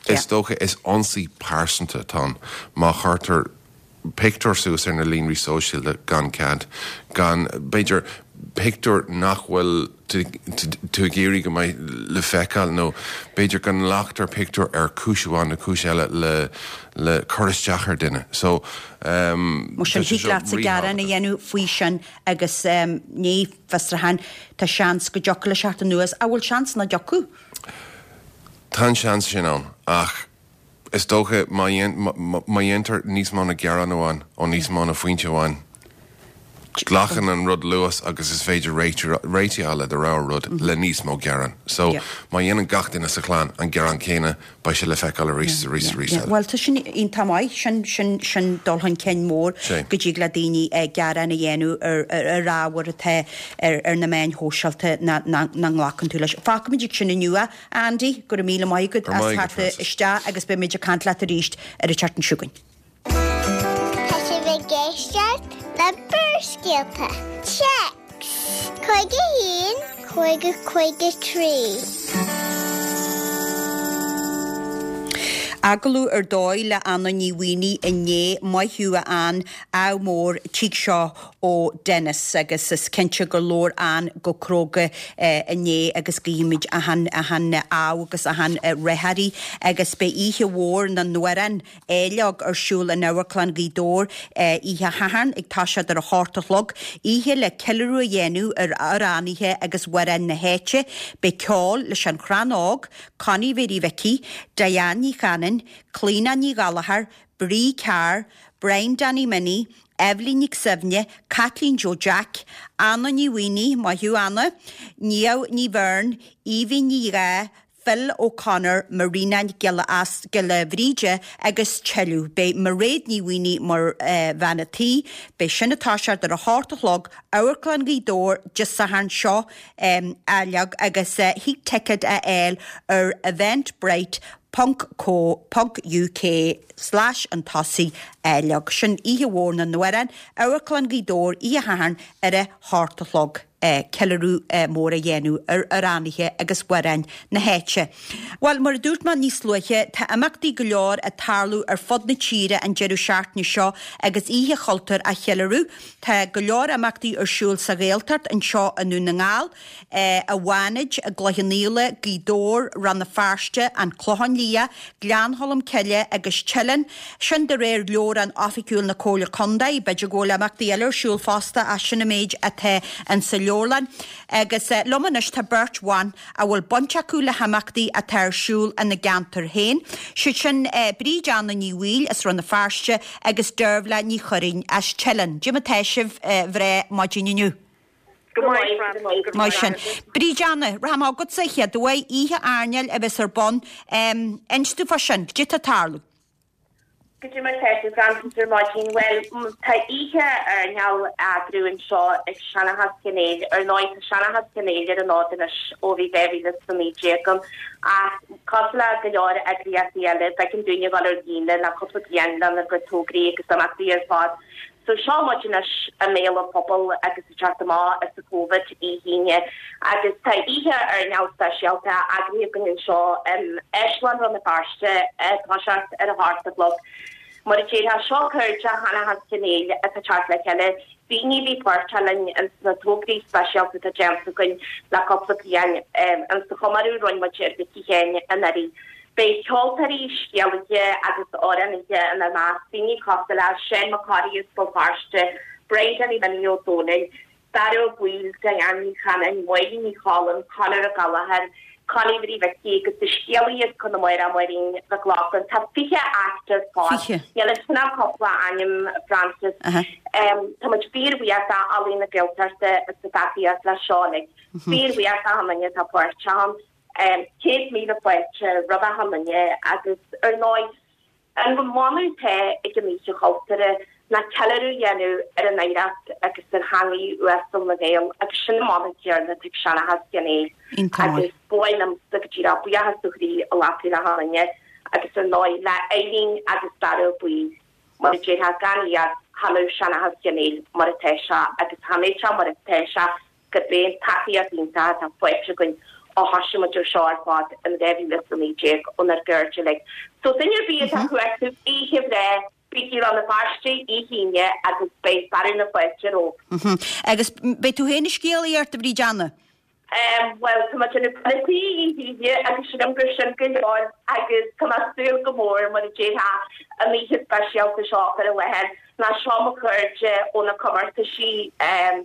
is dócha is ionsaí pearsanta atá ann má chuirtear pictiúr suas ar na líonraí sóisialta gan cead, gan, b'fhéidir, pictiúr nach bhfuil tú ag iarraidh go mbeidh le feiceáil nó b'fhéidir go nglactar pictiúr ar chúis amháin nó cúis eile le le cur isteach ar duine. So, Mar sin, thig leatsa gearán a dhéanamh faoi sin agus ní fiosrúchán, tá seans go dtiocfadh leis theacht anuas. An bhfuil seans nach dtiocfadh? Tá an seans sin ann ach is dócha má dhéantar níos mó ná gearán amháin ó níos mó ná foinse amháin. Glacann an rud luas agus is féidir réiteach a fháil le do rogha rud le níos mó gearán. So, má dhéanann gach duine sa chlann an gearán céanna, beidh sé le feiceáil arís is arís is arís eile. Bhuel, tá sin iontach maith. Sin, sin, sin dul chun cinn mór go dtig le daoine gearán a dhéanamh ar, ar ábhar atá ar, ar na meáin shóisialta nach nglacann tú leis. Fágfaimid ag sin inniu é, Andy. Go raibh míle maith agat as theacht isteach agus beimid ag caint leat arís ar an tseachtain seo chugainn. Tá sibh ag éisteacht le Barrscéalta. Téacs 51 50 53. Agallamh ar dóigh le Anna Ní Mhaonaigh inné, maith thú a Ann, ádh mór, tig seo ó Dennis agus is cinnte gur labhair Ann go cróga inné agus guímid achan achan ádh agus achan rath uirthi agus beidh oíche mhór na n-amhrán Áilleog ar siúl in Amharclann Ghaoth Dobhair oíche Shathairn ag toiseacht ar a hocht a chlog, oíche le ceiliúradh a dhéanamh ar amhránaithe agus amhráin na háite. Beidh ceol leis An Chrann Óg, Connie Mhéirí Mhicí, Diane Ní Chanainn, Clíona Ní Ghallchóir, Bree Carr, Brian Danny Minnie, Eibhlín Nic Suibhne, Caitlín Joe Jack, Anna Ní Mhaonaigh, maith thú Anna, Niamh Ní Bheirn, Aoibhinn Ní Dheá, Phil O'Connor, Marina Nic Giolla Bhríde agus tuilleadh. Beidh Mairéad Ní Mhaonaigh mar bhean a' tí. Beidh sin ag toiseacht ar a hocht a chlog, Amharclann Ghaoth Dobhair, Dé Sathairn seo áilleog agus thig ticéid a fháil ar eventbrite ponc co ponc uk slash an tosaigh áilleog. Sin Oíche Mhór na nAmhrán, Amharclann Ghaoth Dobhair, Oíche Shathairn ar a hocht a chlog. ceiliúradh mór a dhéanamh ar amhránaithe agus amhráin na háite. Bhuel, mar a dúirt mé níos luaithe, tá imeachtaí go leor ag tarlú ar fud na tíre an deireadh seachtaine seo agus Oíche Chultúir á cheiliúradh. Tá go leor imeachtaí ar siúl sa Ghaeltacht anseo i nDún na nGall, i bhFánaid, i gCloich Cheann Fhaola, Gaoth Dobhair, Rann na Feirste, An Clochán Liath, Gleann Cholm Cille agus Teileann. Sin de réir leabhrán oifigiúil na Comhairle Contae. B'fhéidir go bhfuil imeachtaí eile ar siúl fosta ach sin an méid atá insa leabharlann. Agus liom anois tá beirt bhan a bhfuil baint acu le himeachtaí atá ar siúl ina gceantar féin. Siad sin Bríd Anna Ní Bhaoill as Rann na Feirste agus Deirbhile Ní Churraoin as Teileann. Cad é mar atá sibh a mhná maidin inniu. Go maith, Frances, go Maith sin. Bríd Anna, rachaidh mé chugatsa an chéad uair, oíche airneáil a bheas ar bun. Inis domh fá sin, cad é atá ag tarlú? Cad é mar atá tú, Frances, ar maidin. Bhuel, tá oíche airneáil á eagrú anseo ag Seanchas Chionn Éil. Ar ndóigh, tá Seanchas Chionn Éil ar an fhód anois ó bhí 2019 ann, ach cosúil le go leor eagraíochtaí eile, b'éigean dúinn a dhul ar líne le cúpla bliain lenár gcuid tograí agus imeachtaí ar fad. So seo muid anois i mbéal an phobail agus ag teacht amach as an Covid oíche Aoine agus tá oíche airneáil speisialta eagraithe againn anseo in Áislann Rann na Feirste ag toiseacht ar a hocht a chlog. Mar a déarfá, seo cairde Sheanchas Chionn Éil atá ag teacht le chéile, daoine a bhí páirteach linn ins na tograí speisialta atá déanta againn le cúpla bliain, ins an chomóradh a rinne muid ar Mhicí Sheáin anuraidh. Beidh ceoltóirí, scéalaithe agus amhránaithe inár measc, daoine cosúil le Seán Mac Corraidh as Béal Feirste, Brian Danny Minnie Ó Dónaill, Dara Ó Baoill, Diane Ní Chanainn, Máirín Ní Cholm, Conor Ó Gallchóir, Connie Mhary Mhicí agus an scéalaí as Conamara, Máirín Mhic Lochlainn. Tá 20 act ar fad. Níl ansin ach cúpla ainm, Frances. Tá muid fíorbhuíoch d'Ealaín na Gaeltachta as a dtacaíocht leis seo uilig. Fíorbhuíoch d'achan duine atá páirteach ann. 100,000 fáilte roimh achan duine agus ar ndóigh an mana atá ag an Oíche Chultúrtha ná ceiliúradh a dhéanamh ar an oidhreacht agus ar theangaidh uasal na nGael agus sin an mana céanna atá ag Seanchas Chionn Éil agus ba mhaith liomsa go díreach buíochas ó chroí a ghlacadh le achan duine agus ar ndóigh le Eileen agus Dara Ó Baoill mar a déarfá gan iad cha mbeadh Seanchas Chionn Éil mar atá sé agus cha mbeadh sé mar atá sé gurb é an tacaíocht iontach atá faighte againn ó thosaigh muid ar seo ar fad in 2019 ónár gcairde uilig. So duine ar bith atá ag cuartú oíche bhreá, bígí i Rann na Feirste oíche Aoine agus beidh fearadh na fáilte romhaibh. Agus beidh tú féin ag scéalaíocht, a Bhríd Anna? Bhuel, tá mé ag déanamh bean an tí oíche Aoine agus sílim gur sin go leor agus tá mé ag súil go mór, mar a déarfá, an oíche speisialta seo a chur i láthair. Ná seo mo chairde ó na comórtaisí a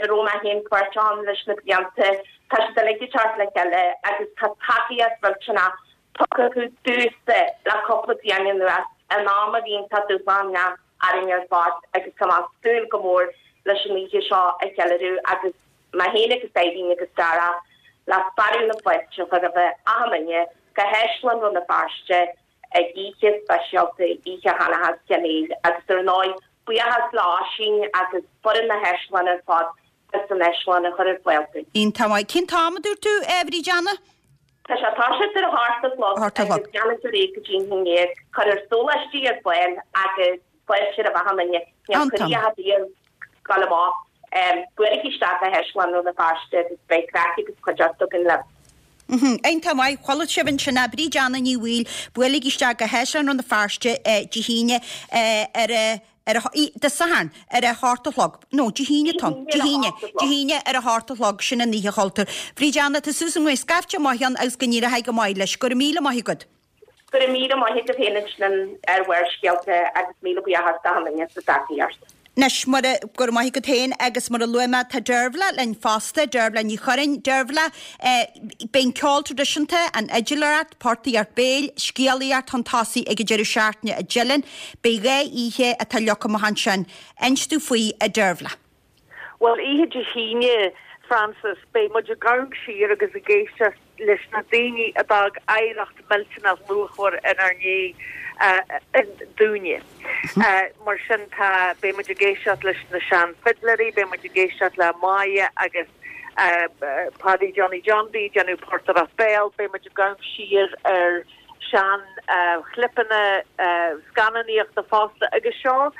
raibh mé féin páirteach ann leis na blianta, tá siad uilig ag teacht le chéile agus tá tacaíocht mhillteanach tugtha acu domhsa le cúpla bliain anuas, in am a bhí iontach dúshlánach orainn ar fad agus tá mé ag súil go mór. leis an oíche seo a cheiliúradh agus mé féin agus Irene agus Dara le fearadh na fáilte a chur roimh achan duine go hÁislann Rann na Feirste ag oíche speisialta, Oíche Sheanchas Chenéil agus ar ndóigh buíochas le Oisín agus foireann na hÁislainne ar fad as an Áislann a chur ar fáil dúinn. Iontach maith. Cén t-am a dúirt tú, a Bhríd Anna? Tá sé ag toiseacht ar a hocht a chlog agus leanfaidh ar aghaidh go dtí an haon dhéag. Cuirfear sóláistí ar fáil agus fáilte roimh achan duine. Níl cuireadh ar bith ag gabháil amach. Buailigí isteach go hÁislann Rann na Feirste agus beidh craic agus cuideachta againn libh. Iontach maith. Chuala sibh ansin é, Bríd Anna Ní Bhaoill, buailigí isteach go hÁislann Rann na Feirste Dé hAoine ar a ar a Dé Sathairn ar a hocht a chlog. No, Dé hAoine atá ann. Dé hAoine. Dé hAoine ar a hocht a chlog, sin an Oíche Chultúir. Bríd Anna, tá suas an ghaoth scaifte maith ann agus go n-éireoidh go maith leis. Go raibh míle maith agat. Go raibh míle maith agat féin ansin ar Bharrscéalta agus míle buíochas d'achan duine as a dtacaíocht. Anois, mar a, go raibh maith agat féin agus mar a luaigh mé, tá Deirbhile linn fosta, Deirbhile Ní Churráin. Deirbhile, eh, beidh an ceol traidisiúnta, an fhidléireacht, portaíocht béil, scéalaíocht chun tosaigh ag an deireadh seachtaine i dTeileann. Beidh 2 oíche atá leagtha amach ansin. Inis dúinn faoi, a Deirbhile. Bhuel, oíche Dé hAoine, Frances, beidh muid ag amharc siar agus ag éisteacht leis na daoine a d'fhág oidhreacht millteanach luachmhar inár ndiaidh dúinne. Mar sin tá, beidh muid ag éisteacht leis na sean-fhidléirí, beidh muid ag éisteacht le Máire agus Paddy Johnny John D ag déanamh portaireacht béil, beidh muid ag amharc siar ar sean chlipeanna scannánaíochta fosta agus seo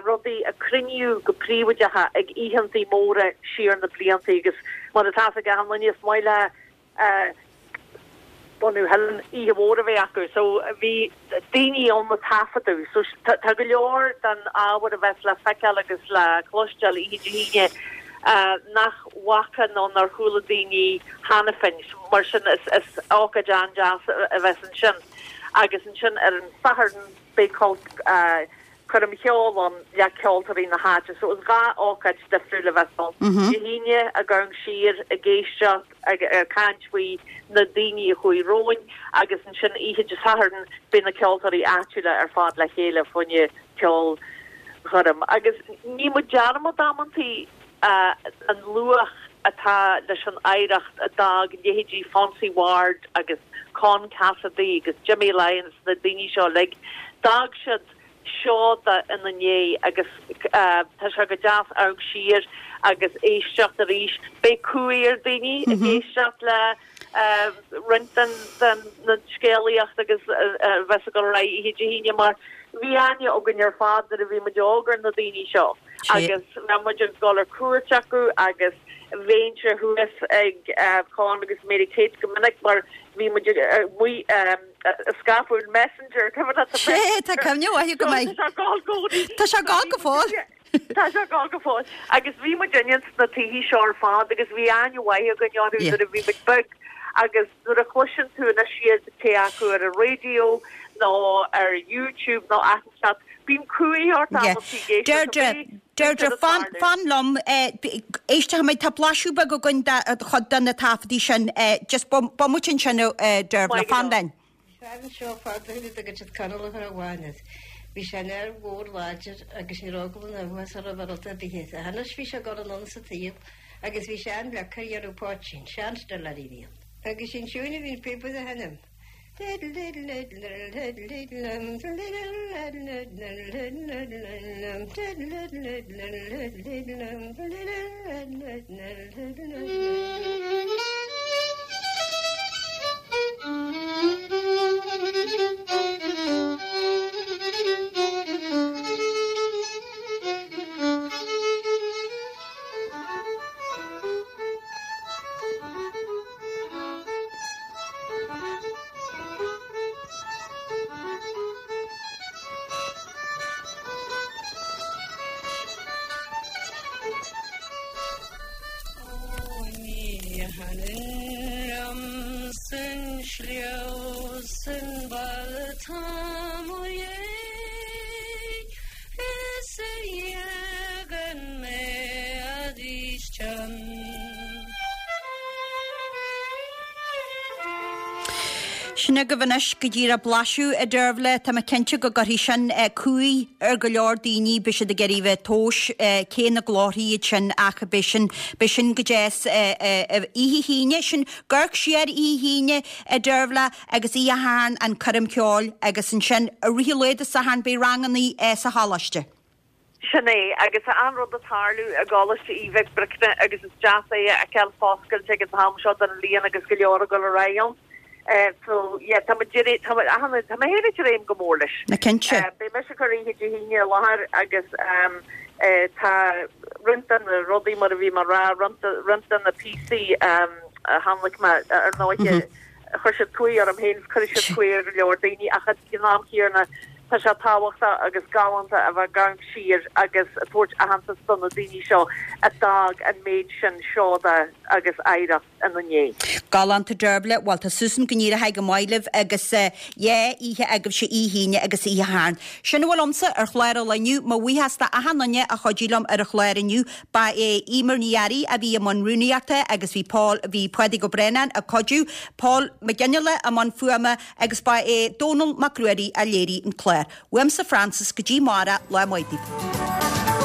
rudaí a cruinníodh go príobháideach ag oícheantaí móra siar na blianta agus mar atá fhios ag achan duine is maith le bunadh Theileann oíche mhór a bheith acu so bhí daoine ann a taifeadadh so tá go leor den ábhar a bheas le feiceáil agus le cloisteáil oíche Dé hAoine nach bhfaca nó nár chuala daoine cheana féin. Mar sin is ócáid an-deas a bheas ansin. Agus ansin ar an Satharn beidh coirm cheoil ann le ceoltóirí na háite. So is 2 ócáid difriúil a bheas ann. Dé hAoine ag amharc siar, ag éisteacht, ag caint faoi na daoine a chuaigh romhainn agus ansin oíche Dé Sathairn beidh na ceoltóirí áitiúla ar fad le chéile fá choinne ceolchoirm. Agus ní muid dearmad amantaí an luach atá leis an oidhreacht a d'fhág leithéidí Phonsie Ward agus Con Cassidy agus Jimmy Lyons, na daoine seo uilig. D'fhág siad seoda ina ndiaidh agus tá sé go deas amharc siar agus éisteacht arís. Beidh cumhaidh ar daoine ag éisteacht le roinnt den na scéalaíocht agus a bheas ag dul ar aghaidh oíche Dé hAoine mar bhí aithne againn ar fad nuair a bhí muid óg ar na daoine seo agus bheadh muid ag dul ar cuairt acu agus bheinnse thuas ag Con agus Mary Kate go minic mar bhí muid amuigh ag scaipeadh an Messenger, cuimhin leat an Messenger? Tá cuimhne mhaith agam air. Tá sé ag gabháil i gcónaí. Tá sé ag gabháil go fóill. Tá sé ag gabháil go fóill. Agus bhí muid ins na tithe seo ar fad agus bhí aithne mhaith againn orthu nuair a bhí muid beag agus nuair a chloiseann tú anois iad cé acu ar an raidió nó ar YouTube nó áit inteacht, bíonn cumhaidh ort amantaí ag éisteacht Deirdre, Deirdre, fan, fan liom, éistfimid, tá blaiseadh beag againn de chuid de na taifeadtaí sin, just bomaite ansin, Deirbhile, fan linn. Fear anseo fad ó shin a dtugann siad Conall Ó Ceannabháin air. Bhí sé ina fhear mhór láidir agus ní raibh eagla ná uathás air roimh rud ar bith ach anois bhí sé ag dul anonn sa tsaol agus bhí sé an-leagtha ar dhéanamh poitín, sean-stiléirí a bhí ann. Agus sin siúin a bhí an píobaire a sheinm. Sin agaibh anois go díreach blaiseadh, a Deirbhile. Tá mé cinnte go gcuirfidh sin cumhaidh ar go leor daoine, beidh siad ag iarraidh a bheith ag tomhais cé na glórthaí iad sin ach beidh sin, beidh sin go deas oíche hAoine, sin ag amharc siar oíche hAoine, a Deirbhile, agus oíche Shathairn an coirm cheoil agus ansin i rith an lae Dé Sathairn beidh rangannaí sa choláiste. Sin é, agus tá an-rud ag tarlú i gColáiste Uí Mhic Bricne agus is deas é a fheiceáil foscailte ag an t-am seo den bhliain agus go leor ag dul ar aghaidh ann. So, yeah, tá muid ag, tá muid, achan, tá mé féin ag dréim go mór leis. Na cinnte. Beidh mise ag cur oíche Dé hAoine i láthair agus tá roinnt de na rudaí, mar a bhí mé a rá, roinnt, roinnt de na píosaí a thionlaic mé, ar ndóighe, Chuir siad cumhaidh orm féin is cuirfidh siad cumhaidh ar go leor daoine ach ag an am chéanna tá sé tábhachtach agus galánta a bheith ag amharc siar agus ag tabhairt aitheantas do na daoine seo a d'fhág an méid sin seoda agus oidhreacht ina ndiaidh. Galánta Deirbhile, bhuel tá súil agam go n-éireoidh go maith libh agus yeah oíche agaibhse oíche hAoine agus oíche Shathairn. Sin a bhfuil a'msa ar chlár an lae inniu. Mo bhuíochas d'achan duine a chuidigh liom ar an chlár inniu. Ba é Eimear Ní Fhearraigh a bhí i mbun rúnaíochta agus bhí Paul, bhí Pádraig Ó Braonáin ag cuidiú, Paul Mac Fhionnghaile i mbun fuaime agus ba é Dónall Mac Ruairí a léirigh an clár. Uaimse Frances go dtí amárach, lá maith daoibh.